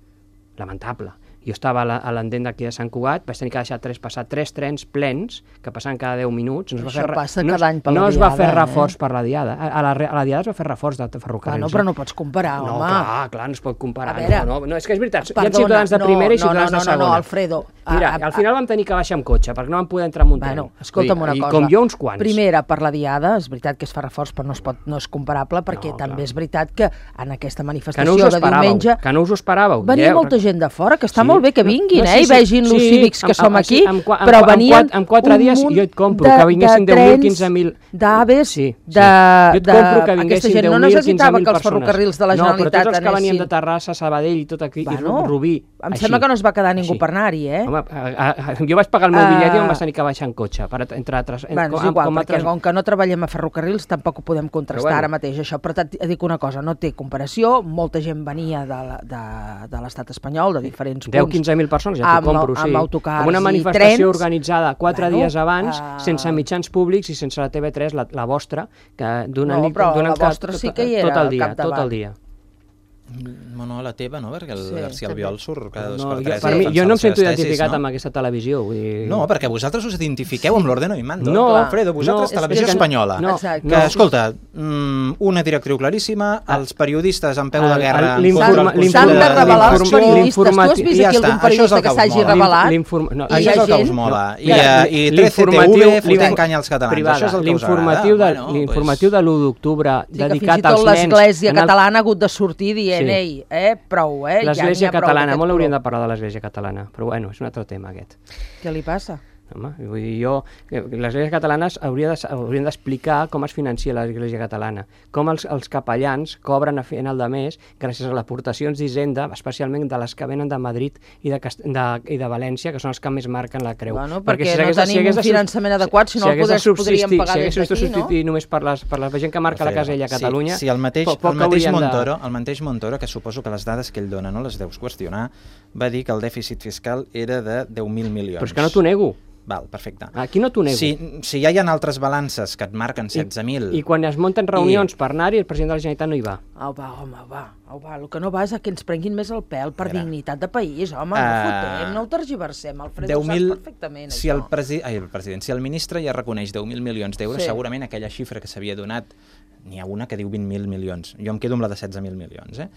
[SPEAKER 3] Lamentable. Jo estava a l'endent d'aquí de Sant Cugat, vaig tenir que deixar tres, passar tres trens plens, que passaven cada deu minuts. No es va
[SPEAKER 5] Això
[SPEAKER 3] fer,
[SPEAKER 5] passa
[SPEAKER 3] no,
[SPEAKER 5] cada any per
[SPEAKER 3] no
[SPEAKER 5] la
[SPEAKER 3] es va
[SPEAKER 5] diada,
[SPEAKER 3] fer reforç
[SPEAKER 5] eh?
[SPEAKER 3] per la diada. A la, a la diada es va fer reforç de ferrocarrils.
[SPEAKER 5] Ah, no, però no pots comparar,
[SPEAKER 3] no,
[SPEAKER 5] home.
[SPEAKER 3] No, clar, clar, no es pot comparar.
[SPEAKER 5] A veure,
[SPEAKER 3] no, no, no, és que és veritat,
[SPEAKER 5] perdona,
[SPEAKER 3] hi ha ciutadans de primera
[SPEAKER 5] no,
[SPEAKER 3] i ciutadans
[SPEAKER 5] no, no,
[SPEAKER 3] de segona.
[SPEAKER 5] No, no, no, Alfredo.
[SPEAKER 3] Mira, al final vam tenir que baixar amb cotxe, perquè no vam poder entrar en un tren.
[SPEAKER 5] Bueno, escolta'm una
[SPEAKER 3] I,
[SPEAKER 5] cosa.
[SPEAKER 3] I com jo uns quants.
[SPEAKER 5] Primera, per la diada, és veritat que es fa reforç, però no, es pot, no és comparable, perquè
[SPEAKER 3] no,
[SPEAKER 5] també
[SPEAKER 3] clar.
[SPEAKER 5] És veritat que en aquesta manifestació
[SPEAKER 3] que no us
[SPEAKER 5] de diumenge...
[SPEAKER 3] Que no us ho esperàveu.
[SPEAKER 5] Venia molta gent de fora, que està
[SPEAKER 3] sí,
[SPEAKER 5] molt bé que vinguin,
[SPEAKER 3] no,
[SPEAKER 5] eh,
[SPEAKER 3] sí,
[SPEAKER 5] i vegin
[SPEAKER 3] sí,
[SPEAKER 5] els
[SPEAKER 3] sí,
[SPEAKER 5] cívics que
[SPEAKER 3] amb,
[SPEAKER 5] som aquí,
[SPEAKER 3] amb, amb,
[SPEAKER 5] però
[SPEAKER 3] amb,
[SPEAKER 5] venien
[SPEAKER 3] amb quatre dies jo et compro, que vinguessin deu mil, quinze mil...
[SPEAKER 5] d'aves,
[SPEAKER 3] sí, sí.
[SPEAKER 5] de...
[SPEAKER 3] Jo et compro que vinguessin
[SPEAKER 5] aquesta gent no necessitava que els ferrocarrils de la
[SPEAKER 3] no,
[SPEAKER 5] Generalitat
[SPEAKER 3] però tots els que
[SPEAKER 5] anessin...
[SPEAKER 3] venien de Terrassa, Sabadell i tot aquí,
[SPEAKER 5] bueno,
[SPEAKER 3] i Rubí...
[SPEAKER 5] Em
[SPEAKER 3] així,
[SPEAKER 5] sembla que no es va quedar ningú
[SPEAKER 3] així.
[SPEAKER 5] per anar-hi, eh?
[SPEAKER 3] Home, a, a, jo vaig pagar el meu bitllet uh, i em vaig tenir que baixar en cotxe, per, entre altres...
[SPEAKER 5] Bueno, és
[SPEAKER 3] com,
[SPEAKER 5] igual,
[SPEAKER 3] com
[SPEAKER 5] perquè
[SPEAKER 3] altres...
[SPEAKER 5] com que no treballem a ferrocarrils tampoc ho podem contrastar
[SPEAKER 3] bueno.
[SPEAKER 5] ara mateix, això. Però et dic una cosa, no té comparació, molta gent venia de, la, de, de l'estat espanyol, de diferents punts.
[SPEAKER 3] deu a quinze mil persones, ja t'ho compro, sí.
[SPEAKER 5] Amb autocars
[SPEAKER 3] amb una manifestació
[SPEAKER 5] i trens,
[SPEAKER 3] organitzada quatre
[SPEAKER 5] bueno,
[SPEAKER 3] dies abans,
[SPEAKER 5] uh...
[SPEAKER 3] sense mitjans públics i sense la T V tres, la, la vostra, que donen...
[SPEAKER 5] No, però
[SPEAKER 3] donen
[SPEAKER 5] la vostra
[SPEAKER 3] tot,
[SPEAKER 5] sí que hi era
[SPEAKER 3] tot el dia,
[SPEAKER 5] capdavant.
[SPEAKER 3] tot el dia.
[SPEAKER 4] No, no, la teva, no? Perquè el
[SPEAKER 5] Sí,
[SPEAKER 4] García Albiol surt cada dos
[SPEAKER 3] No,
[SPEAKER 4] per
[SPEAKER 3] jo,
[SPEAKER 4] tres.
[SPEAKER 3] per
[SPEAKER 4] a
[SPEAKER 3] mi,
[SPEAKER 4] defensar
[SPEAKER 3] jo no em
[SPEAKER 4] les seves
[SPEAKER 3] sento identificat
[SPEAKER 4] tesis, no?
[SPEAKER 3] amb aquesta televisió. Vull dir...
[SPEAKER 4] No, perquè vosaltres us identifiqueu amb l'Ordeno i Mando.
[SPEAKER 3] No,
[SPEAKER 4] Alfredo, vosaltres,
[SPEAKER 3] no,
[SPEAKER 4] televisió
[SPEAKER 3] és que-
[SPEAKER 4] espanyola.
[SPEAKER 3] no,
[SPEAKER 5] Exacte.
[SPEAKER 4] Que, escolta, mm, una directriu claríssima, els periodistes en peu de
[SPEAKER 3] El-
[SPEAKER 4] guerra...
[SPEAKER 3] el-
[SPEAKER 4] en contra
[SPEAKER 3] l'informa-
[SPEAKER 4] del
[SPEAKER 5] S'han de
[SPEAKER 4] Consell
[SPEAKER 5] revelar els
[SPEAKER 4] d'Informació.
[SPEAKER 5] periodistes. Tu has
[SPEAKER 3] l'informati-
[SPEAKER 5] vist
[SPEAKER 4] I ja
[SPEAKER 5] aquí
[SPEAKER 4] està,
[SPEAKER 5] algun
[SPEAKER 4] això és
[SPEAKER 5] periodista
[SPEAKER 4] el
[SPEAKER 5] que
[SPEAKER 4] que us
[SPEAKER 5] s'hagi
[SPEAKER 4] mola.
[SPEAKER 5] revelat?
[SPEAKER 3] L'inform- no,
[SPEAKER 5] I
[SPEAKER 4] Això
[SPEAKER 5] hi
[SPEAKER 4] és
[SPEAKER 5] ha
[SPEAKER 4] el que us
[SPEAKER 5] gent-
[SPEAKER 4] mola. I,
[SPEAKER 3] No,
[SPEAKER 4] eh, i trece T V fotent canya als catalans.
[SPEAKER 3] privada,
[SPEAKER 4] Això és el que us agrada.
[SPEAKER 3] l'informatiu de,
[SPEAKER 4] Bueno,
[SPEAKER 3] l'informatiu de l'u d'octubre
[SPEAKER 5] Sí, que fins i
[SPEAKER 3] dedicat
[SPEAKER 5] tot
[SPEAKER 3] als nens...
[SPEAKER 5] l'Església
[SPEAKER 3] en el-
[SPEAKER 5] catalana ha hagut de sortir dient,
[SPEAKER 3] Sí.
[SPEAKER 5] ei, eh, prou, eh?
[SPEAKER 3] L'Església
[SPEAKER 5] ja n'hi ha prou
[SPEAKER 3] catalana,
[SPEAKER 5] d'aquest
[SPEAKER 3] molt hauríem de
[SPEAKER 5] color.
[SPEAKER 3] parlar de l'Església catalana, però bueno, és un altre tema aquest.
[SPEAKER 5] Què li passa?
[SPEAKER 3] Home, vull dir, jo, l'Església Catalana hauria de, haurien d'explicar com es financia l'Església Catalana, com els, els capellans cobren a final de mes gràcies a les aportacions d'Hisenda, especialment de les que venen de Madrid i de, Cast de, i de València, que són els que més marquen la creu.
[SPEAKER 5] Bueno, perquè, perquè si no tenim si un finançament de, adequat, si no si el podés, podríem pagar des d'aquí, no? Si hagués de substituir
[SPEAKER 3] només per, les, per la gent que marca la casella a Catalunya...
[SPEAKER 4] Sí, sí el mateix, poc, poc el, mateix Montoro, de... el mateix Montoro, que suposo que les dades que ell dona no les deus qüestionar, va dir que el dèficit fiscal era de deu mil milions.
[SPEAKER 3] Però és que no t'ho nego.
[SPEAKER 4] Val, perfecte.
[SPEAKER 3] Aquí no t'ho nego.
[SPEAKER 4] Si, si ja hi ha altres balances que et marquen setze mil...
[SPEAKER 3] I, I quan es munten reunions I... per anar-hi, el president de la Generalitat no hi va.
[SPEAKER 5] Au va, home, va, au va. El que no va és a que ens prenguin més el pèl per Era. dignitat de país, home, uh... no fotem, no ho tergiversem, Alfredo, ho saps perfectament,
[SPEAKER 4] si
[SPEAKER 5] això.
[SPEAKER 4] El, presi... Ai, el president, si el ministre ja reconeix deu mil milions d'euros, sí. segurament aquella xifra que s'havia donat, n'hi ha una que diu vint mil milions. Jo em quedo amb la de setze mil milions, eh?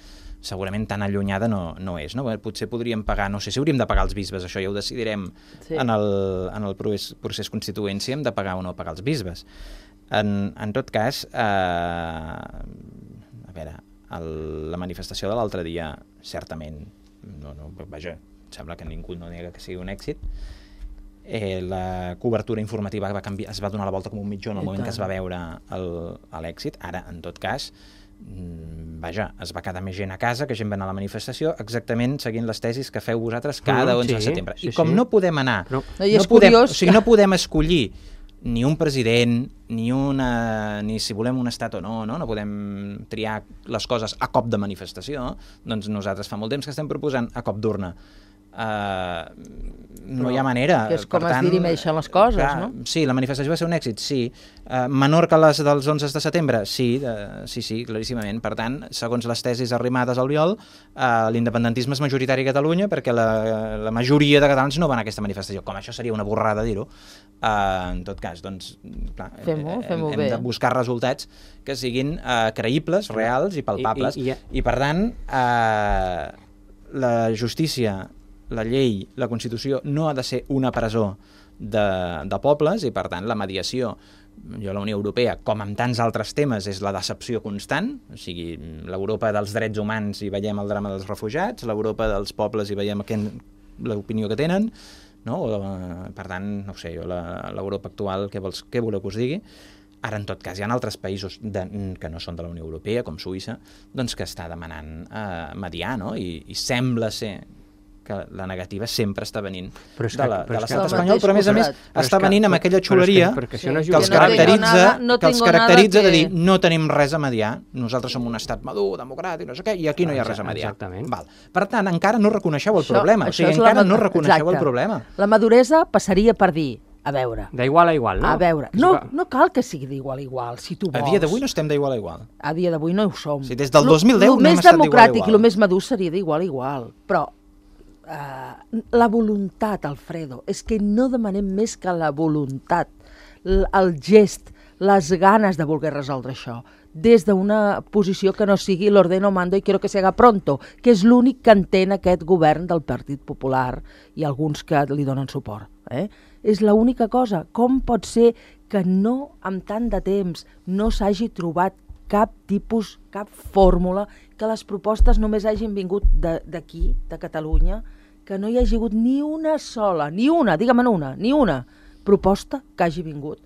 [SPEAKER 4] Segurament tan allunyada no, no és, no? Potser podríem pagar, no sé si hauríem de pagar els bisbes, això ja ho decidirem sí. en el, en el procés, procés constituent, si hem de pagar o no pagar els bisbes. En, en tot cas, eh, a veure, el, la manifestació de l'altre dia, certament, no, no, vaja, sembla que ningú no nega que sigui un èxit. Eh, la cobertura informativa va canviar, es va donar la volta com un mitjó en el I moment tant. que es va veure l'èxit. Ara, en tot cas, vaja, es va quedar més gent a casa, que gent va anar a la manifestació, exactament seguint les tesis que feu vosaltres cada onze de setembre. I com no podem anar, no, no, podem, o sigui, no podem escollir ni un president, ni una, ni si volem un estat o no, no, no podem triar les coses a cop de manifestació, doncs nosaltres fa molt temps que estem proposant a cop d'urna. Uh, no hi ha manera.
[SPEAKER 5] Que és com per es tant, dirimeixen les coses, clar, no?
[SPEAKER 4] Sí, la manifestació va ser un èxit, sí. Uh, menor que les dels onze de setembre? Sí, uh, sí, sí, claríssimament. Per tant, segons les tesis arrimades al Oriol, uh, l'independentisme és majoritari a Catalunya perquè la, la majoria de catalans no van a aquesta manifestació. Com això seria una borrada dir-ho. Uh, en tot cas, doncs, clar,
[SPEAKER 5] fem-ho, fem-ho
[SPEAKER 4] hem, hem
[SPEAKER 5] bé.
[SPEAKER 4] de buscar resultats que siguin uh, creïbles, reals i palpables. I, i, i, I per tant, uh, la justícia, la llei, la Constitució no ha de ser una presó de, de pobles i, per tant, la mediació, jo la Unió Europea, com amb tants altres temes, és la decepció constant, o sigui, l'Europa dels drets humans hi veiem el drama dels refugiats, l'Europa dels pobles hi veiem l'opinió que tenen, no? O, per tant, no ho sé, jo l'Europa actual, què, vols, què voleu que us digui? Ara, en tot cas, hi ha altres països de, que no són de la Unió Europea, com Suïssa, doncs que està demanant eh, mediar, no? I, i sembla ser que la negativa sempre està venint que, de l'estat espanyol, però a més a més està venint amb aquella xuleria que, que, que, que els caracteritza, no que els caracteritza que... de dir no tenim res a mediar, nosaltres som un estat madur, democràtic, no sé què, i aquí no hi ha res a mediar. Val. Per tant, encara no reconeixeu el això, problema, o sigui, encara no reconeixeu Exacte. el problema.
[SPEAKER 5] La maduresa passaria per dir, a veure...
[SPEAKER 3] D'igual a igual, no?
[SPEAKER 5] A veure, no, no cal que sigui d'igual a igual, si tu vols.
[SPEAKER 4] A dia d'avui no estem d'igual a igual.
[SPEAKER 5] A dia d'avui no ho som.
[SPEAKER 4] Si des del dos mil deu
[SPEAKER 5] no hem estat d'igual a igual. El més democràtic i el més madur seria d'igual a igual, però Uh, la voluntat, Alfredo, és que no demanem més que la voluntat, el gest, les ganes de voler resoldre això, des d'una posició que no sigui l'ordeno mando i quiero que se haga pronto, que és l'únic que entén aquest govern del Partit Popular i alguns que li donen suport. Eh? És l'única cosa. Com pot ser que no, amb tant de temps, no s'hagi trobat cap tipus, cap fórmula, que les propostes només hagin vingut d'aquí, de, de Catalunya, que no hi hagi hagut ni una sola, ni una, digue'm una, ni una proposta que hagi vingut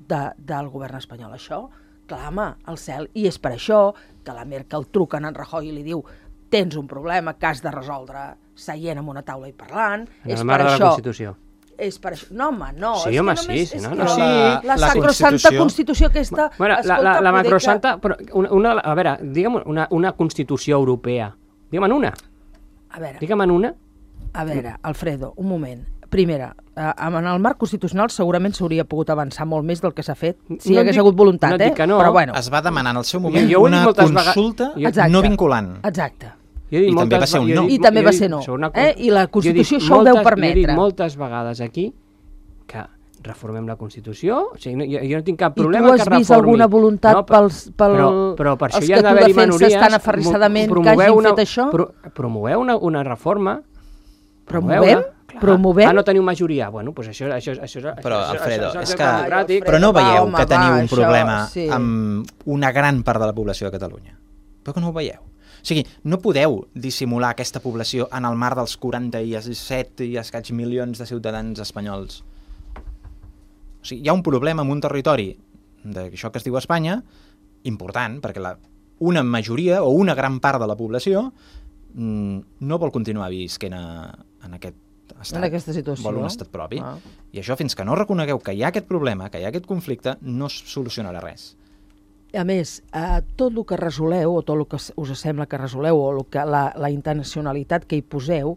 [SPEAKER 5] de, del govern espanyol. Això clama al cel, i és per això que la Merkel truca en Rajoy i li diu tens un problema que has de resoldre seient en una taula i parlant.
[SPEAKER 3] En el marc de la Constitució.
[SPEAKER 5] És per això. No, home, no.
[SPEAKER 3] Sí,
[SPEAKER 5] és
[SPEAKER 3] home,
[SPEAKER 5] que només,
[SPEAKER 3] sí, sí, no,
[SPEAKER 5] no,
[SPEAKER 3] no, sí.
[SPEAKER 5] La, la, la sacrosanta Constitució, Constitució aquesta...
[SPEAKER 3] Bueno, escolta, la, la, la macrosanta... Que... Però una, una, a veure, digue'm una, una Constitució europea. Digue'm una.
[SPEAKER 5] A veure.
[SPEAKER 3] Digue'm una.
[SPEAKER 5] A veure, Alfredo, un moment. Primera, eh, en el marc constitucional segurament s'hauria pogut avançar molt més del que s'ha fet, si no hi hagués dic, hagut voluntat,
[SPEAKER 3] no
[SPEAKER 5] eh?
[SPEAKER 3] No.
[SPEAKER 5] Però bueno.
[SPEAKER 4] Es va demanar en el seu moment jo, jo una consulta
[SPEAKER 5] vega...
[SPEAKER 4] no vinculant.
[SPEAKER 5] Exacte.
[SPEAKER 3] I
[SPEAKER 4] també va ser un no.
[SPEAKER 5] I també va ser no. Eh? I la Constitució això ho deu permetre.
[SPEAKER 3] Jo he dit moltes vegades aquí que reformem la Constitució, o sigui, no, jo, jo no tinc cap problema que reformi. I tu has vist alguna
[SPEAKER 5] voluntat no, pels, pel,
[SPEAKER 3] però, però per això
[SPEAKER 5] els
[SPEAKER 3] hi ha
[SPEAKER 5] que tu defenses tan aferrissadament que hagin
[SPEAKER 3] una,
[SPEAKER 5] fet això?
[SPEAKER 3] Pro, promoveu una, una reforma.
[SPEAKER 5] Promovem? Promovem?
[SPEAKER 3] Ah, no teniu majoria. Bueno, doncs això, això, això, això,
[SPEAKER 4] però,
[SPEAKER 3] això,
[SPEAKER 4] Alfredo,
[SPEAKER 3] això, això,
[SPEAKER 4] és
[SPEAKER 3] això,
[SPEAKER 4] que...
[SPEAKER 3] és democràtic.
[SPEAKER 4] Però no veieu
[SPEAKER 5] va, home,
[SPEAKER 4] que teniu
[SPEAKER 5] va,
[SPEAKER 4] un problema
[SPEAKER 5] això, sí.
[SPEAKER 4] amb una gran part de la població de Catalunya? Però que no ho veieu. O sigui, no podeu dissimular aquesta població en el marc dels quaranta-set i escaig milions de ciutadans espanyols. O sigui, hi ha un problema en un territori d'això que es diu Espanya important, perquè la, una majoria o una gran part de la població mmm, no vol continuar visquent a, en aquest estat.
[SPEAKER 5] En aquesta situació.
[SPEAKER 4] Vol un estat propi.
[SPEAKER 5] Ah.
[SPEAKER 4] I això, fins que no reconegueu que hi ha aquest problema, que hi ha aquest conflicte, no es solucionarà res.
[SPEAKER 5] A més, eh, tot el que resoleu, o tot el que us sembla que resoleu, o el que, la, la intencionalitat que hi poseu,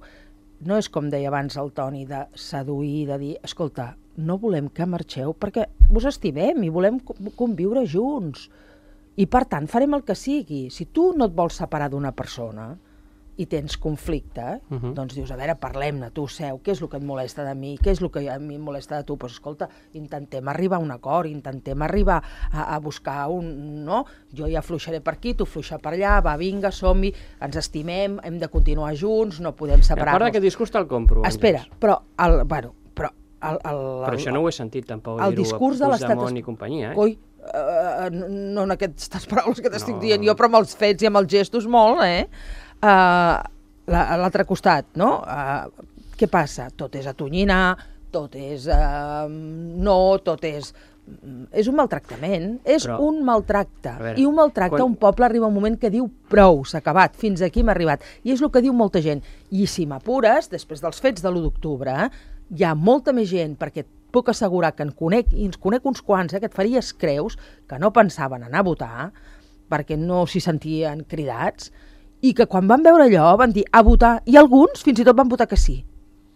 [SPEAKER 5] no és, com deia abans el Toni, de seduir, de dir, escolta, no volem que marxeu perquè vos estimem i volem conviure junts. I, per tant, farem el que sigui. Si tu no et vols separar d'una persona i tens conflicte, uh -huh. doncs dius, a veure, parlem-ne, tu seu, què és el que et molesta de mi, què és el que a mi em molesta de tu? Doncs pues, escolta, intentem arribar a un acord, intentem arribar a, a buscar un... no? Jo ja fluixaré per aquí, tu fluixa per allà, va, vinga, som-hi, ens estimem, hem de continuar junts, no podem separar-nos.
[SPEAKER 3] A part d'aquest discurs te'l compro.
[SPEAKER 5] Espera, però, el, bueno, però... El, el, el,
[SPEAKER 3] però això no ho he sentit tampoc,
[SPEAKER 5] el
[SPEAKER 3] dir-ho
[SPEAKER 5] discurs
[SPEAKER 3] a
[SPEAKER 5] de l'estat
[SPEAKER 3] Puigdemont i companyia, eh?
[SPEAKER 5] Coi, uh, no en aquestes paraules que t'estic
[SPEAKER 3] no.
[SPEAKER 5] dient jo, però amb els fets i amb els gestos molt, eh? Uh, a l'altre costat, no? Uh, què passa? Tot és atonyinar, tot és uh, no, tot és... És un maltractament, és
[SPEAKER 3] però,
[SPEAKER 5] un maltracte.
[SPEAKER 3] veure,
[SPEAKER 5] I un maltracte, quan... un poble arriba un moment que diu prou, s'ha acabat, fins aquí hem arribat. I és el que diu molta gent. I si m'apures, després dels fets de l'u d'octubre, hi ha molta més gent, perquè puc assegurar que en conec, i ens conec uns quants, eh, que et faries creus, que no pensaven anar a votar, perquè no s'hi sentien cridats, i que quan van veure allò van dir a votar, i alguns fins i tot van votar que sí,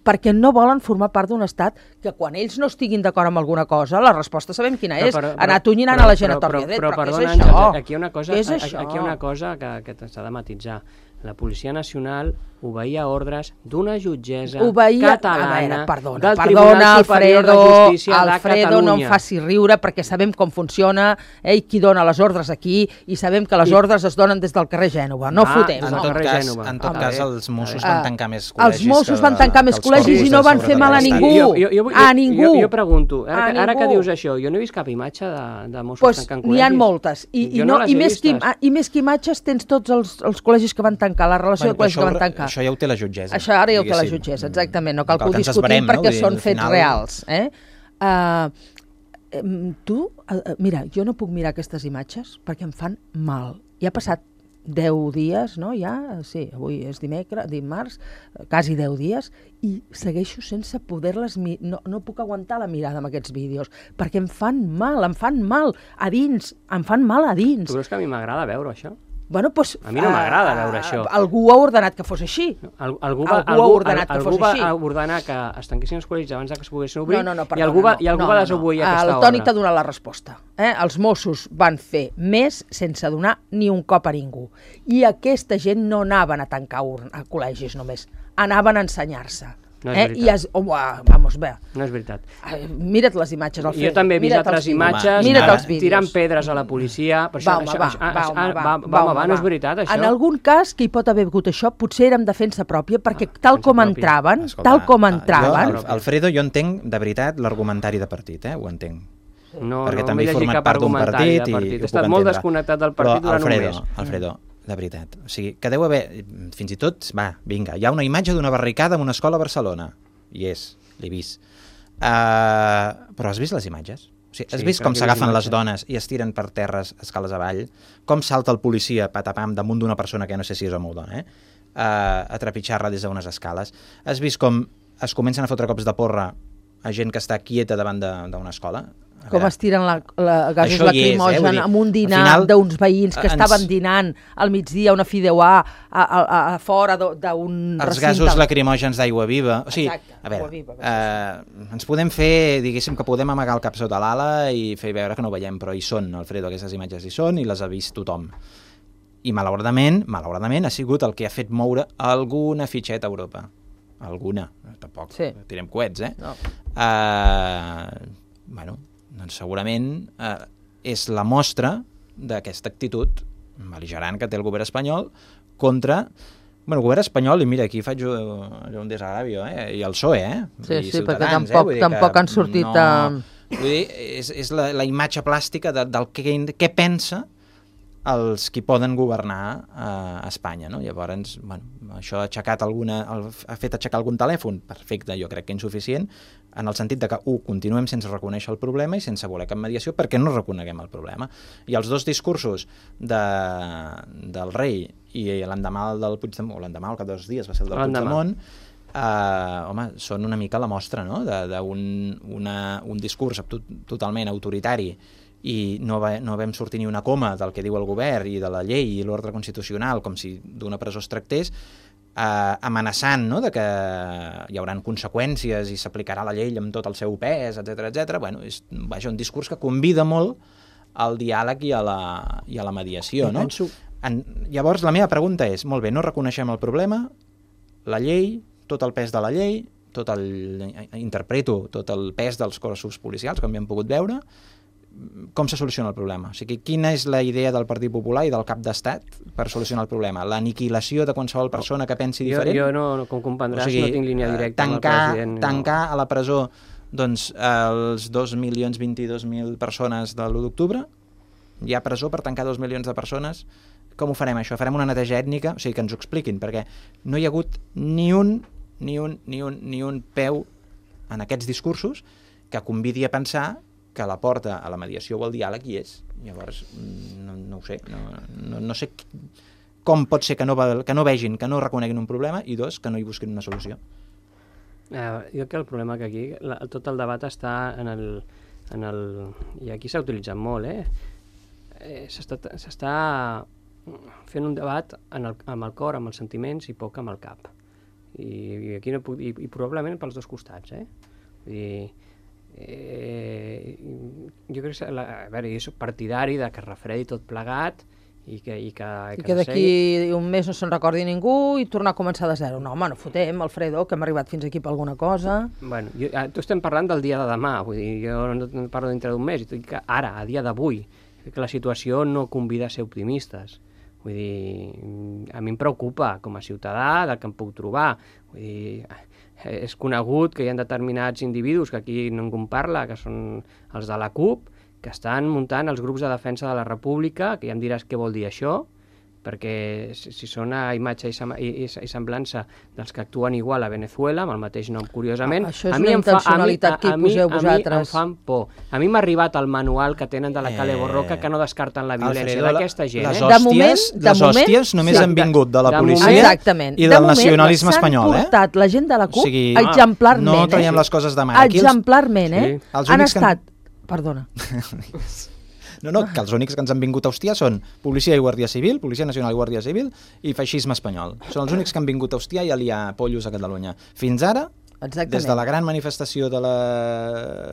[SPEAKER 5] perquè no volen formar part d'un estat que quan ells no estiguin d'acord amb alguna cosa, la resposta sabem quina és, però, però, anar tonyinant a la gent a torn i a dret, però, però, però, però què és això?
[SPEAKER 3] Àngels, aquí hi ha una cosa,
[SPEAKER 5] és això?
[SPEAKER 3] aquí hi ha una cosa que, que s'ha de matisar. La Policia Nacional obeïa ordres d'una jutgessa
[SPEAKER 5] obeïa,
[SPEAKER 3] catalana
[SPEAKER 5] veure, perdona,
[SPEAKER 3] del
[SPEAKER 5] perdona,
[SPEAKER 3] Tribunal Superior
[SPEAKER 5] Alfredo,
[SPEAKER 3] de Justícia
[SPEAKER 5] Alfredo,
[SPEAKER 3] de Catalunya.
[SPEAKER 5] no em faci riure perquè sabem com funciona eh, i qui dona les ordres aquí i sabem que les
[SPEAKER 3] I...
[SPEAKER 5] ordres es donen des del carrer Gènova. No
[SPEAKER 3] ah,
[SPEAKER 5] fotem.
[SPEAKER 4] En
[SPEAKER 5] No?
[SPEAKER 4] tot cas,
[SPEAKER 3] Gènova.
[SPEAKER 4] en tot
[SPEAKER 3] Ah,
[SPEAKER 4] cas
[SPEAKER 3] bé.
[SPEAKER 4] els Mossos
[SPEAKER 3] Ah,
[SPEAKER 4] van tancar més col·legis.
[SPEAKER 5] Els Mossos
[SPEAKER 4] que,
[SPEAKER 5] van tancar més
[SPEAKER 4] que
[SPEAKER 5] col·legis i no van fer mal a ningú.
[SPEAKER 3] Jo, jo, jo,
[SPEAKER 5] a
[SPEAKER 3] jo,
[SPEAKER 5] ningú.
[SPEAKER 3] Jo, jo pregunto, ara,
[SPEAKER 5] A
[SPEAKER 3] que, ara que
[SPEAKER 5] ningú.
[SPEAKER 3] dius això, jo no he vist cap imatge de, de Mossos
[SPEAKER 5] Pues,
[SPEAKER 3] tancant
[SPEAKER 5] n'hi
[SPEAKER 3] col·legis.
[SPEAKER 5] ha moltes. I, i,
[SPEAKER 3] Jo
[SPEAKER 5] no,
[SPEAKER 3] les
[SPEAKER 5] i,
[SPEAKER 3] he
[SPEAKER 5] més que,
[SPEAKER 3] vistes.
[SPEAKER 5] I més que imatges tens tots els, els col·legis que van tancar, la relació
[SPEAKER 4] Bueno,
[SPEAKER 5] de col·legis
[SPEAKER 4] això,
[SPEAKER 5] que van tancar.
[SPEAKER 4] això ja ho té la jutgessa.
[SPEAKER 5] Això ara ja ho té la
[SPEAKER 4] diguéssim.
[SPEAKER 5] jutgessa, exactament. No cal
[SPEAKER 4] No
[SPEAKER 5] que ho
[SPEAKER 4] cal que ens
[SPEAKER 5] discutim
[SPEAKER 4] esperem, no?
[SPEAKER 5] perquè
[SPEAKER 4] Vull dir,
[SPEAKER 5] són
[SPEAKER 4] al
[SPEAKER 5] fets
[SPEAKER 4] final-
[SPEAKER 5] reals. Eh? Uh, em, tu, uh, mira, jo no puc mirar aquestes imatges perquè em fan mal. Ja ha passat deu dies, no? Ja, sí, avui és dimecres, dimarts, quasi deu dies, i segueixo sense poder-les... Mi- no, no puc aguantar la mirada amb aquests vídeos, perquè em fan mal, em fan mal a dins, em fan mal a dins.
[SPEAKER 3] Tu creus que a mi m'agrada veure això?
[SPEAKER 5] Bueno, pues,
[SPEAKER 3] A mi no m'agrada
[SPEAKER 5] uh,
[SPEAKER 3] veure això.
[SPEAKER 5] Algú ha ordenat que fos així.
[SPEAKER 3] Al, algú va,
[SPEAKER 5] Algú ha ordenat que
[SPEAKER 3] algú
[SPEAKER 5] fos
[SPEAKER 3] va
[SPEAKER 5] així.
[SPEAKER 3] ordenar que es tanquessin els col·legis abans que es poguessin obrir
[SPEAKER 5] No, no, no,
[SPEAKER 3] i
[SPEAKER 5] perdona,
[SPEAKER 3] algú va,
[SPEAKER 5] no,
[SPEAKER 3] i algú
[SPEAKER 5] no,
[SPEAKER 3] va
[SPEAKER 5] no,
[SPEAKER 3] desobeir
[SPEAKER 5] no.
[SPEAKER 3] aquesta
[SPEAKER 5] El Toni
[SPEAKER 3] ordre.
[SPEAKER 5] t'ha donat la resposta. Eh? Els Mossos van fer més sense donar ni un cop a ningú. I aquesta gent no anaven a tancar urn, a col·legis només, anaven a ensenyar-se.
[SPEAKER 3] No és
[SPEAKER 5] eh?
[SPEAKER 3] veritat.
[SPEAKER 5] I es, oh, vamos, bé,
[SPEAKER 3] No és veritat.
[SPEAKER 5] eh, mira't les imatges, Alfredo.
[SPEAKER 3] Jo també he vist
[SPEAKER 5] mira't
[SPEAKER 3] altres
[SPEAKER 5] els vídeos.
[SPEAKER 3] imatges
[SPEAKER 5] Mira't
[SPEAKER 4] Home,
[SPEAKER 5] els vídeos.
[SPEAKER 3] tirant pedres a la policia. Per això,
[SPEAKER 5] Va, home,
[SPEAKER 3] això,
[SPEAKER 5] va,
[SPEAKER 3] això,
[SPEAKER 5] va,
[SPEAKER 3] això,
[SPEAKER 5] home, va,
[SPEAKER 3] va,
[SPEAKER 5] va,
[SPEAKER 3] va,
[SPEAKER 5] home,
[SPEAKER 3] va, no és
[SPEAKER 5] va.
[SPEAKER 3] veritat, això.
[SPEAKER 5] En algun cas que hi pot haver hagut això, potser era en defensa pròpia, perquè
[SPEAKER 3] Ah,
[SPEAKER 5] tal
[SPEAKER 3] defensa
[SPEAKER 5] com
[SPEAKER 3] pròpia.
[SPEAKER 5] entraven,
[SPEAKER 4] Escolta,
[SPEAKER 5] tal com
[SPEAKER 4] jo,
[SPEAKER 5] entraven...
[SPEAKER 4] Al- Alfredo, jo entenc, de veritat, l'argumentari de partit, eh? Ho entenc.
[SPEAKER 3] No,
[SPEAKER 4] perquè
[SPEAKER 3] no
[SPEAKER 4] també
[SPEAKER 3] m'he
[SPEAKER 4] he
[SPEAKER 3] llegit
[SPEAKER 4] format
[SPEAKER 3] cap
[SPEAKER 4] part d'un
[SPEAKER 3] argumentari
[SPEAKER 4] partit
[SPEAKER 3] de
[SPEAKER 4] i
[SPEAKER 3] partit.
[SPEAKER 4] ho
[SPEAKER 3] He
[SPEAKER 4] puc
[SPEAKER 3] estat molt
[SPEAKER 4] entendre.
[SPEAKER 3] desconnectat del partit
[SPEAKER 4] Però,
[SPEAKER 3] durant
[SPEAKER 4] Alfredo,
[SPEAKER 3] un mes.
[SPEAKER 4] Alfredo, de veritat, o sigui, que deu haver, fins i tot, va, vinga, hi ha una imatge d'una barricada en una escola a Barcelona, i és, l'he vist. Uh, però has vist les imatges? O sigui, has
[SPEAKER 3] Sí,
[SPEAKER 4] vist
[SPEAKER 3] crec
[SPEAKER 4] com
[SPEAKER 3] que he
[SPEAKER 4] s'agafen
[SPEAKER 3] vist
[SPEAKER 4] les
[SPEAKER 3] imatges.
[SPEAKER 4] dones i es tiren per terres escales avall? Com salta el policia, patapam, damunt d'una persona que no sé si és home o dona, eh? Uh, a trepitjar-la des d'unes escales? Has vist com es comencen a fotre cops de porra a gent que està quieta davant d'una escola? A
[SPEAKER 5] Com
[SPEAKER 4] veure,
[SPEAKER 5] es tiren la, la gasos
[SPEAKER 4] Això hi és, eh? Vull
[SPEAKER 5] lacrimogen
[SPEAKER 4] dir,
[SPEAKER 5] amb un
[SPEAKER 4] al
[SPEAKER 5] dinar
[SPEAKER 4] final,
[SPEAKER 5] d'uns veïns que
[SPEAKER 4] ens-
[SPEAKER 5] estaven dinant al migdia una fideuà a, a, a, a fora d'u- d'un
[SPEAKER 4] els
[SPEAKER 5] recinte.
[SPEAKER 4] gasos lacrimògens d'aigua viva. O sigui,
[SPEAKER 5] Exacte,
[SPEAKER 4] a veure,
[SPEAKER 5] aigua viva,
[SPEAKER 4] eh, ens podem fer, diguéssim, que podem amagar el cap sota l'ala i fer veure que no ho veiem, però hi són, Alfredo, aquestes imatges hi són i les ha vist tothom. I malauradament, malauradament ha sigut el que ha fet moure alguna fitxeta a Europa. Alguna, tampoc
[SPEAKER 5] Sí.
[SPEAKER 4] tirem coets, eh?
[SPEAKER 5] No.
[SPEAKER 4] Uh, bueno, doncs segurament uh, és la mostra d'aquesta actitud bel·ligerant que té el govern espanyol contra... Bueno, el govern espanyol, i mira, aquí faig un, un desagravio, eh? I el P S O E, eh?
[SPEAKER 5] Sí,
[SPEAKER 4] I
[SPEAKER 5] sí,
[SPEAKER 4] Ciutadans,
[SPEAKER 5] perquè tampoc,
[SPEAKER 4] eh? Vull dir que
[SPEAKER 5] tampoc han sortit
[SPEAKER 4] no...
[SPEAKER 5] a...
[SPEAKER 4] Vull dir, és, és la, la imatge plàstica de, del que, què pensa els qui poden governar a Espanya, no? Llavors, bueno, això ha aixecat alguna, ha fet aixecar algun telèfon, perfecte, jo crec que insuficient, en el sentit de que, un, continuem sense reconèixer el problema i sense voler cap mediació perquè no reconeguem el problema. I els dos discursos de, del rei i l'endemà del Puigdemont, o l'endemà, al cap de dos dies va ser el del Puigdemont, eh, home, són una mica la mostra, no?, d'un un discurs tot, totalment autoritari i no, va, no vam sortir ni una coma del que diu el govern i de la llei i l'ordre constitucional, com si d'una presó es tractés, eh, amenaçant, no?, de que hi haurà conseqüències i s'aplicarà la llei amb tot el seu pes, etcètera, etcètera. Bueno, és vaja, un discurs que convida molt al diàleg i a la, i a la mediació, no? Penso... En, llavors, la meva pregunta és, molt bé, no reconeixem el problema, la llei, tot el pes de la llei, tot el, interpreto tot el pes dels cossos policials, com hem pogut veure, com se soluciona el problema? O sigui, quina és la idea del Partit Popular i del cap d'estat per solucionar el problema? L'aniquilació de qualsevol persona que pensi diferent?
[SPEAKER 3] Jo, jo no, com comprendràs, o sigui, no tinc línia directa
[SPEAKER 4] tancar,
[SPEAKER 3] amb el president.
[SPEAKER 4] Tancar no. a la presó doncs, els dos milions vint-i-dos mil persones de l'u d'octubre? Hi ha presó per tancar dos milions de persones? Com ho farem, això? Farem una neteja ètnica? O sigui, que ens ho expliquin, perquè no hi ha hagut ni un, ni un, ni un, ni un peu en aquests discursos que convidi a pensar que la porta a la mediació o al diàleg hi és. Llavors, no, no ho sé, no, no, no sé com pot ser que no, que no vegin, que no reconeguin un problema, i dos, que no hi busquin una solució.
[SPEAKER 3] Eh, jo crec que el problema que aquí, la, tot el debat està en el... En el i aquí s'ha utilitzat molt, eh? eh S'està fent un debat en el, amb el cor, amb els sentiments i poc amb el cap. I, i aquí no puc, i, i probablement pels dos costats, eh? Vull dir, Eh, jo crec que la, a veure, jo soc partidari de que es refredi tot plegat i que, i que,
[SPEAKER 5] I que, que d'aquí un mes no se'n recordi ningú i tornar a començar de zero. No, home, no fotem, Alfredo, que hem arribat fins aquí per alguna cosa.
[SPEAKER 3] Bueno, jo, tu estem parlant del dia de demà, vull dir, jo no, no parlo dintre d'un mes, i tot que ara, a dia d'avui, que la situació no convida a ser optimistes. Vull dir, a mi em preocupa com a ciutadà del que em puc trobar. Vull dir, és conegut que hi ha determinats individus que aquí ningú en parla, que són els de la CUP, que estan muntant els grups de defensa de la República, que ja em diràs què vol dir això, perquè si, si són a imatge i, i, i semblança dels que actuen igual a Venezuela, amb el mateix nom, curiosament,
[SPEAKER 5] ah, això és a mi una intencionalitat que hi poseu vosaltres.
[SPEAKER 3] A mi em fan por. A mi m'ha arribat el manual que tenen de la Cale Borroca que no descarten la violència d'aquesta gent.
[SPEAKER 4] Les
[SPEAKER 3] eh?
[SPEAKER 4] hòsties,
[SPEAKER 5] de moment, de
[SPEAKER 4] les hòsties
[SPEAKER 5] moment,
[SPEAKER 4] només
[SPEAKER 5] sí.
[SPEAKER 4] han vingut de la
[SPEAKER 3] de
[SPEAKER 4] policia
[SPEAKER 5] moment,
[SPEAKER 4] i del nacionalisme espanyol.
[SPEAKER 5] De moment s'han portat la gent de la CUP
[SPEAKER 4] o sigui,
[SPEAKER 5] exemplarment.
[SPEAKER 4] No traiem
[SPEAKER 5] eh?
[SPEAKER 4] les coses de mà.
[SPEAKER 5] Exemplarment, eh?
[SPEAKER 4] Sí.
[SPEAKER 5] Han estat... Que... Perdona.
[SPEAKER 4] No, no, que els únics que ens han vingut a hostiar són Policia i Guàrdia Civil, Policia Nacional i Guàrdia Civil i feixisme espanyol. Són els únics que han vingut a hostiar i a liar pollos a Catalunya. Fins ara, exactament, des de la gran manifestació de la,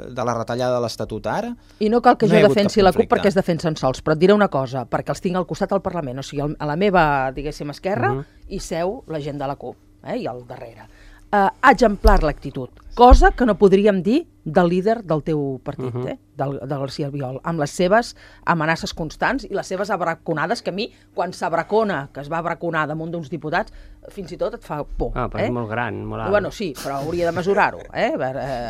[SPEAKER 4] de la retallada de l'Estatut ara...
[SPEAKER 5] I no cal que no jo defensi la CUP perquè es defensen sols, però et diré una cosa, perquè els tinc al costat al Parlament, o sigui, a la meva, diguéssim, esquerra, uh -huh. hi seu la gent de la CUP, eh, i al darrere. Uh, exemplar l'actitud, cosa que no podríem dir del líder del teu partit, uh -huh. eh? del, del García Albiol, amb les seves amenaces constants i les seves abraconades, que a mi, quan s'abracona, que es va abraconar damunt d'uns diputats, fins i tot et fa por.
[SPEAKER 3] Ah, però
[SPEAKER 5] eh?
[SPEAKER 3] és molt gran, molt alt.
[SPEAKER 5] Bueno, sí, però hauria de mesurar-ho, eh?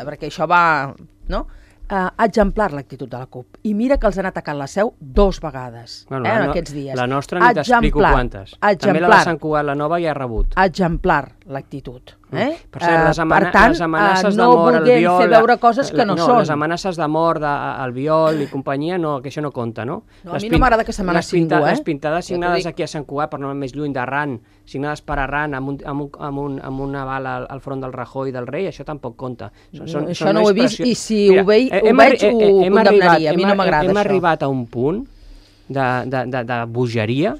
[SPEAKER 5] perquè això va... No? Uh, exemplar l'actitud de la CUP. I mira que els han atacat la seu dos vegades,
[SPEAKER 3] bueno,
[SPEAKER 5] eh, en
[SPEAKER 3] no,
[SPEAKER 5] aquests dies.
[SPEAKER 3] La nostra ni t'explico quantes.
[SPEAKER 5] Exemplar.
[SPEAKER 3] També la de Sant Cugat, la nova, ja ha rebut.
[SPEAKER 5] Exemplar l'actitud. Eh?
[SPEAKER 3] Per cert, les, amana
[SPEAKER 5] uh, per tant,
[SPEAKER 3] les amenaces
[SPEAKER 5] uh,
[SPEAKER 3] de mort,
[SPEAKER 5] no
[SPEAKER 3] el viol...
[SPEAKER 5] fer veure coses que no,
[SPEAKER 3] no
[SPEAKER 5] són.
[SPEAKER 3] Les amenaces de mort, de, el viol i companyia, no, que això no compta, no?
[SPEAKER 5] No, a mi no m'agrada que s'amenaci ningú, eh?
[SPEAKER 3] Les pintades signades aquí a Sant Cugat, per no anar més lluny d'Arran, signades per Arran amb, un, amb, un, amb, un, amb una bala al, al front del Rajoy i del rei, això tampoc compta. Són, són,
[SPEAKER 5] això
[SPEAKER 3] són
[SPEAKER 5] no ho he vist, i si Mira, ho, veig, ho
[SPEAKER 3] hem,
[SPEAKER 5] veig ho
[SPEAKER 3] hem
[SPEAKER 5] condemnaria,
[SPEAKER 3] arribat,
[SPEAKER 5] a mi no m'agrada
[SPEAKER 3] això. Hem
[SPEAKER 5] això.
[SPEAKER 3] arribat a un punt de, de, de, de bogeria.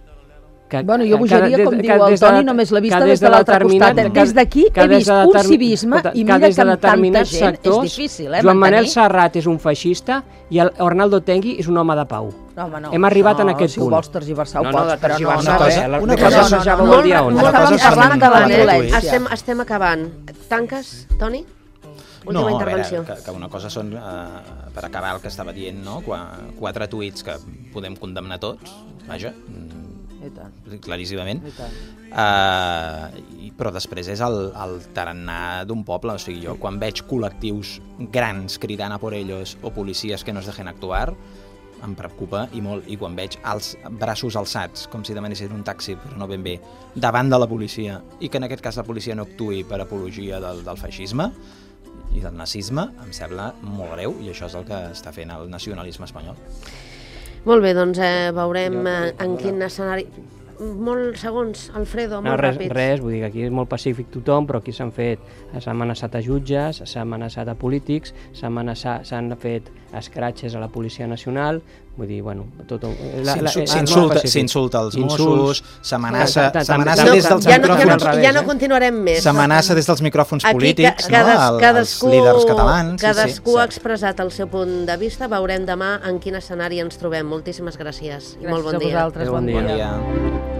[SPEAKER 3] Que,
[SPEAKER 5] bueno, jo bogeria,
[SPEAKER 3] que,
[SPEAKER 5] com
[SPEAKER 3] que,
[SPEAKER 5] diu el Toni, de, només l'he vista des de l'altre costat. Des d'aquí he vist un civisme i mira que amb tanta gent
[SPEAKER 3] sectors,
[SPEAKER 5] és difícil, eh?
[SPEAKER 3] Joan Manel Serrat és un feixista i el Arnaldo Tengui és un home de pau.
[SPEAKER 5] No, home, no.
[SPEAKER 3] Hem arribat
[SPEAKER 5] no,
[SPEAKER 3] en aquest
[SPEAKER 5] si
[SPEAKER 3] punt.
[SPEAKER 5] Si ho vols tergiversar, ho
[SPEAKER 3] no,
[SPEAKER 5] pots,
[SPEAKER 3] no,
[SPEAKER 5] però no.
[SPEAKER 4] Una cosa,
[SPEAKER 3] no,
[SPEAKER 4] una
[SPEAKER 3] no,
[SPEAKER 4] cosa,
[SPEAKER 3] no, ja
[SPEAKER 5] no,
[SPEAKER 3] vol dir on.
[SPEAKER 5] Estàvem parlant de la violència.
[SPEAKER 2] Estem, estem acabant. Tanques, Toni? Última
[SPEAKER 4] no,
[SPEAKER 2] intervenció.
[SPEAKER 4] A veure, que, que una cosa són, uh, per acabar el que estava dient, no? Qua, quatre tuits que podem condemnar tots, vaja, claríssimament, uh, i, però després és el, el tarannà d'un poble. O sigui, jo quan veig col·lectius grans cridant a por ellos o policies que no es dejen actuar, em preocupa i molt, i quan veig els braços alçats, com si demanessin un taxi, però no ben bé, davant de la policia, i que en aquest cas la policia no actuï per apologia del, del feixisme i del nazisme, em sembla molt greu, i això és el que està fent el nacionalisme espanyol.
[SPEAKER 2] Molt bé, doncs eh, veurem eh, en quin escenari... Molt segons, Alfredo, molt
[SPEAKER 3] no, res,
[SPEAKER 2] ràpids.
[SPEAKER 3] Res, vull dir que aquí és molt pacífic tothom, però aquí s'han fet, s'ha amenaçat a jutges, s'ha amenaçat a polítics, s'han fet escratxes a la Policia Nacional, vull dir, bueno, tot...
[SPEAKER 4] S'insulta els Mossos, s'amenaça
[SPEAKER 3] s'amenaça
[SPEAKER 4] des dels micròfons...
[SPEAKER 2] Ja no continuarem més.
[SPEAKER 4] S'amenaça des dels micròfons polítics, els
[SPEAKER 2] cadascú,
[SPEAKER 4] líders catalans...
[SPEAKER 2] Cadascú ha expressat el seu punt de vista, veurem demà en quin escenari ens trobem. Moltíssimes gràcies i molt bon dia.
[SPEAKER 5] Gràcies a vosaltres, bon dia.
[SPEAKER 4] Bon dia.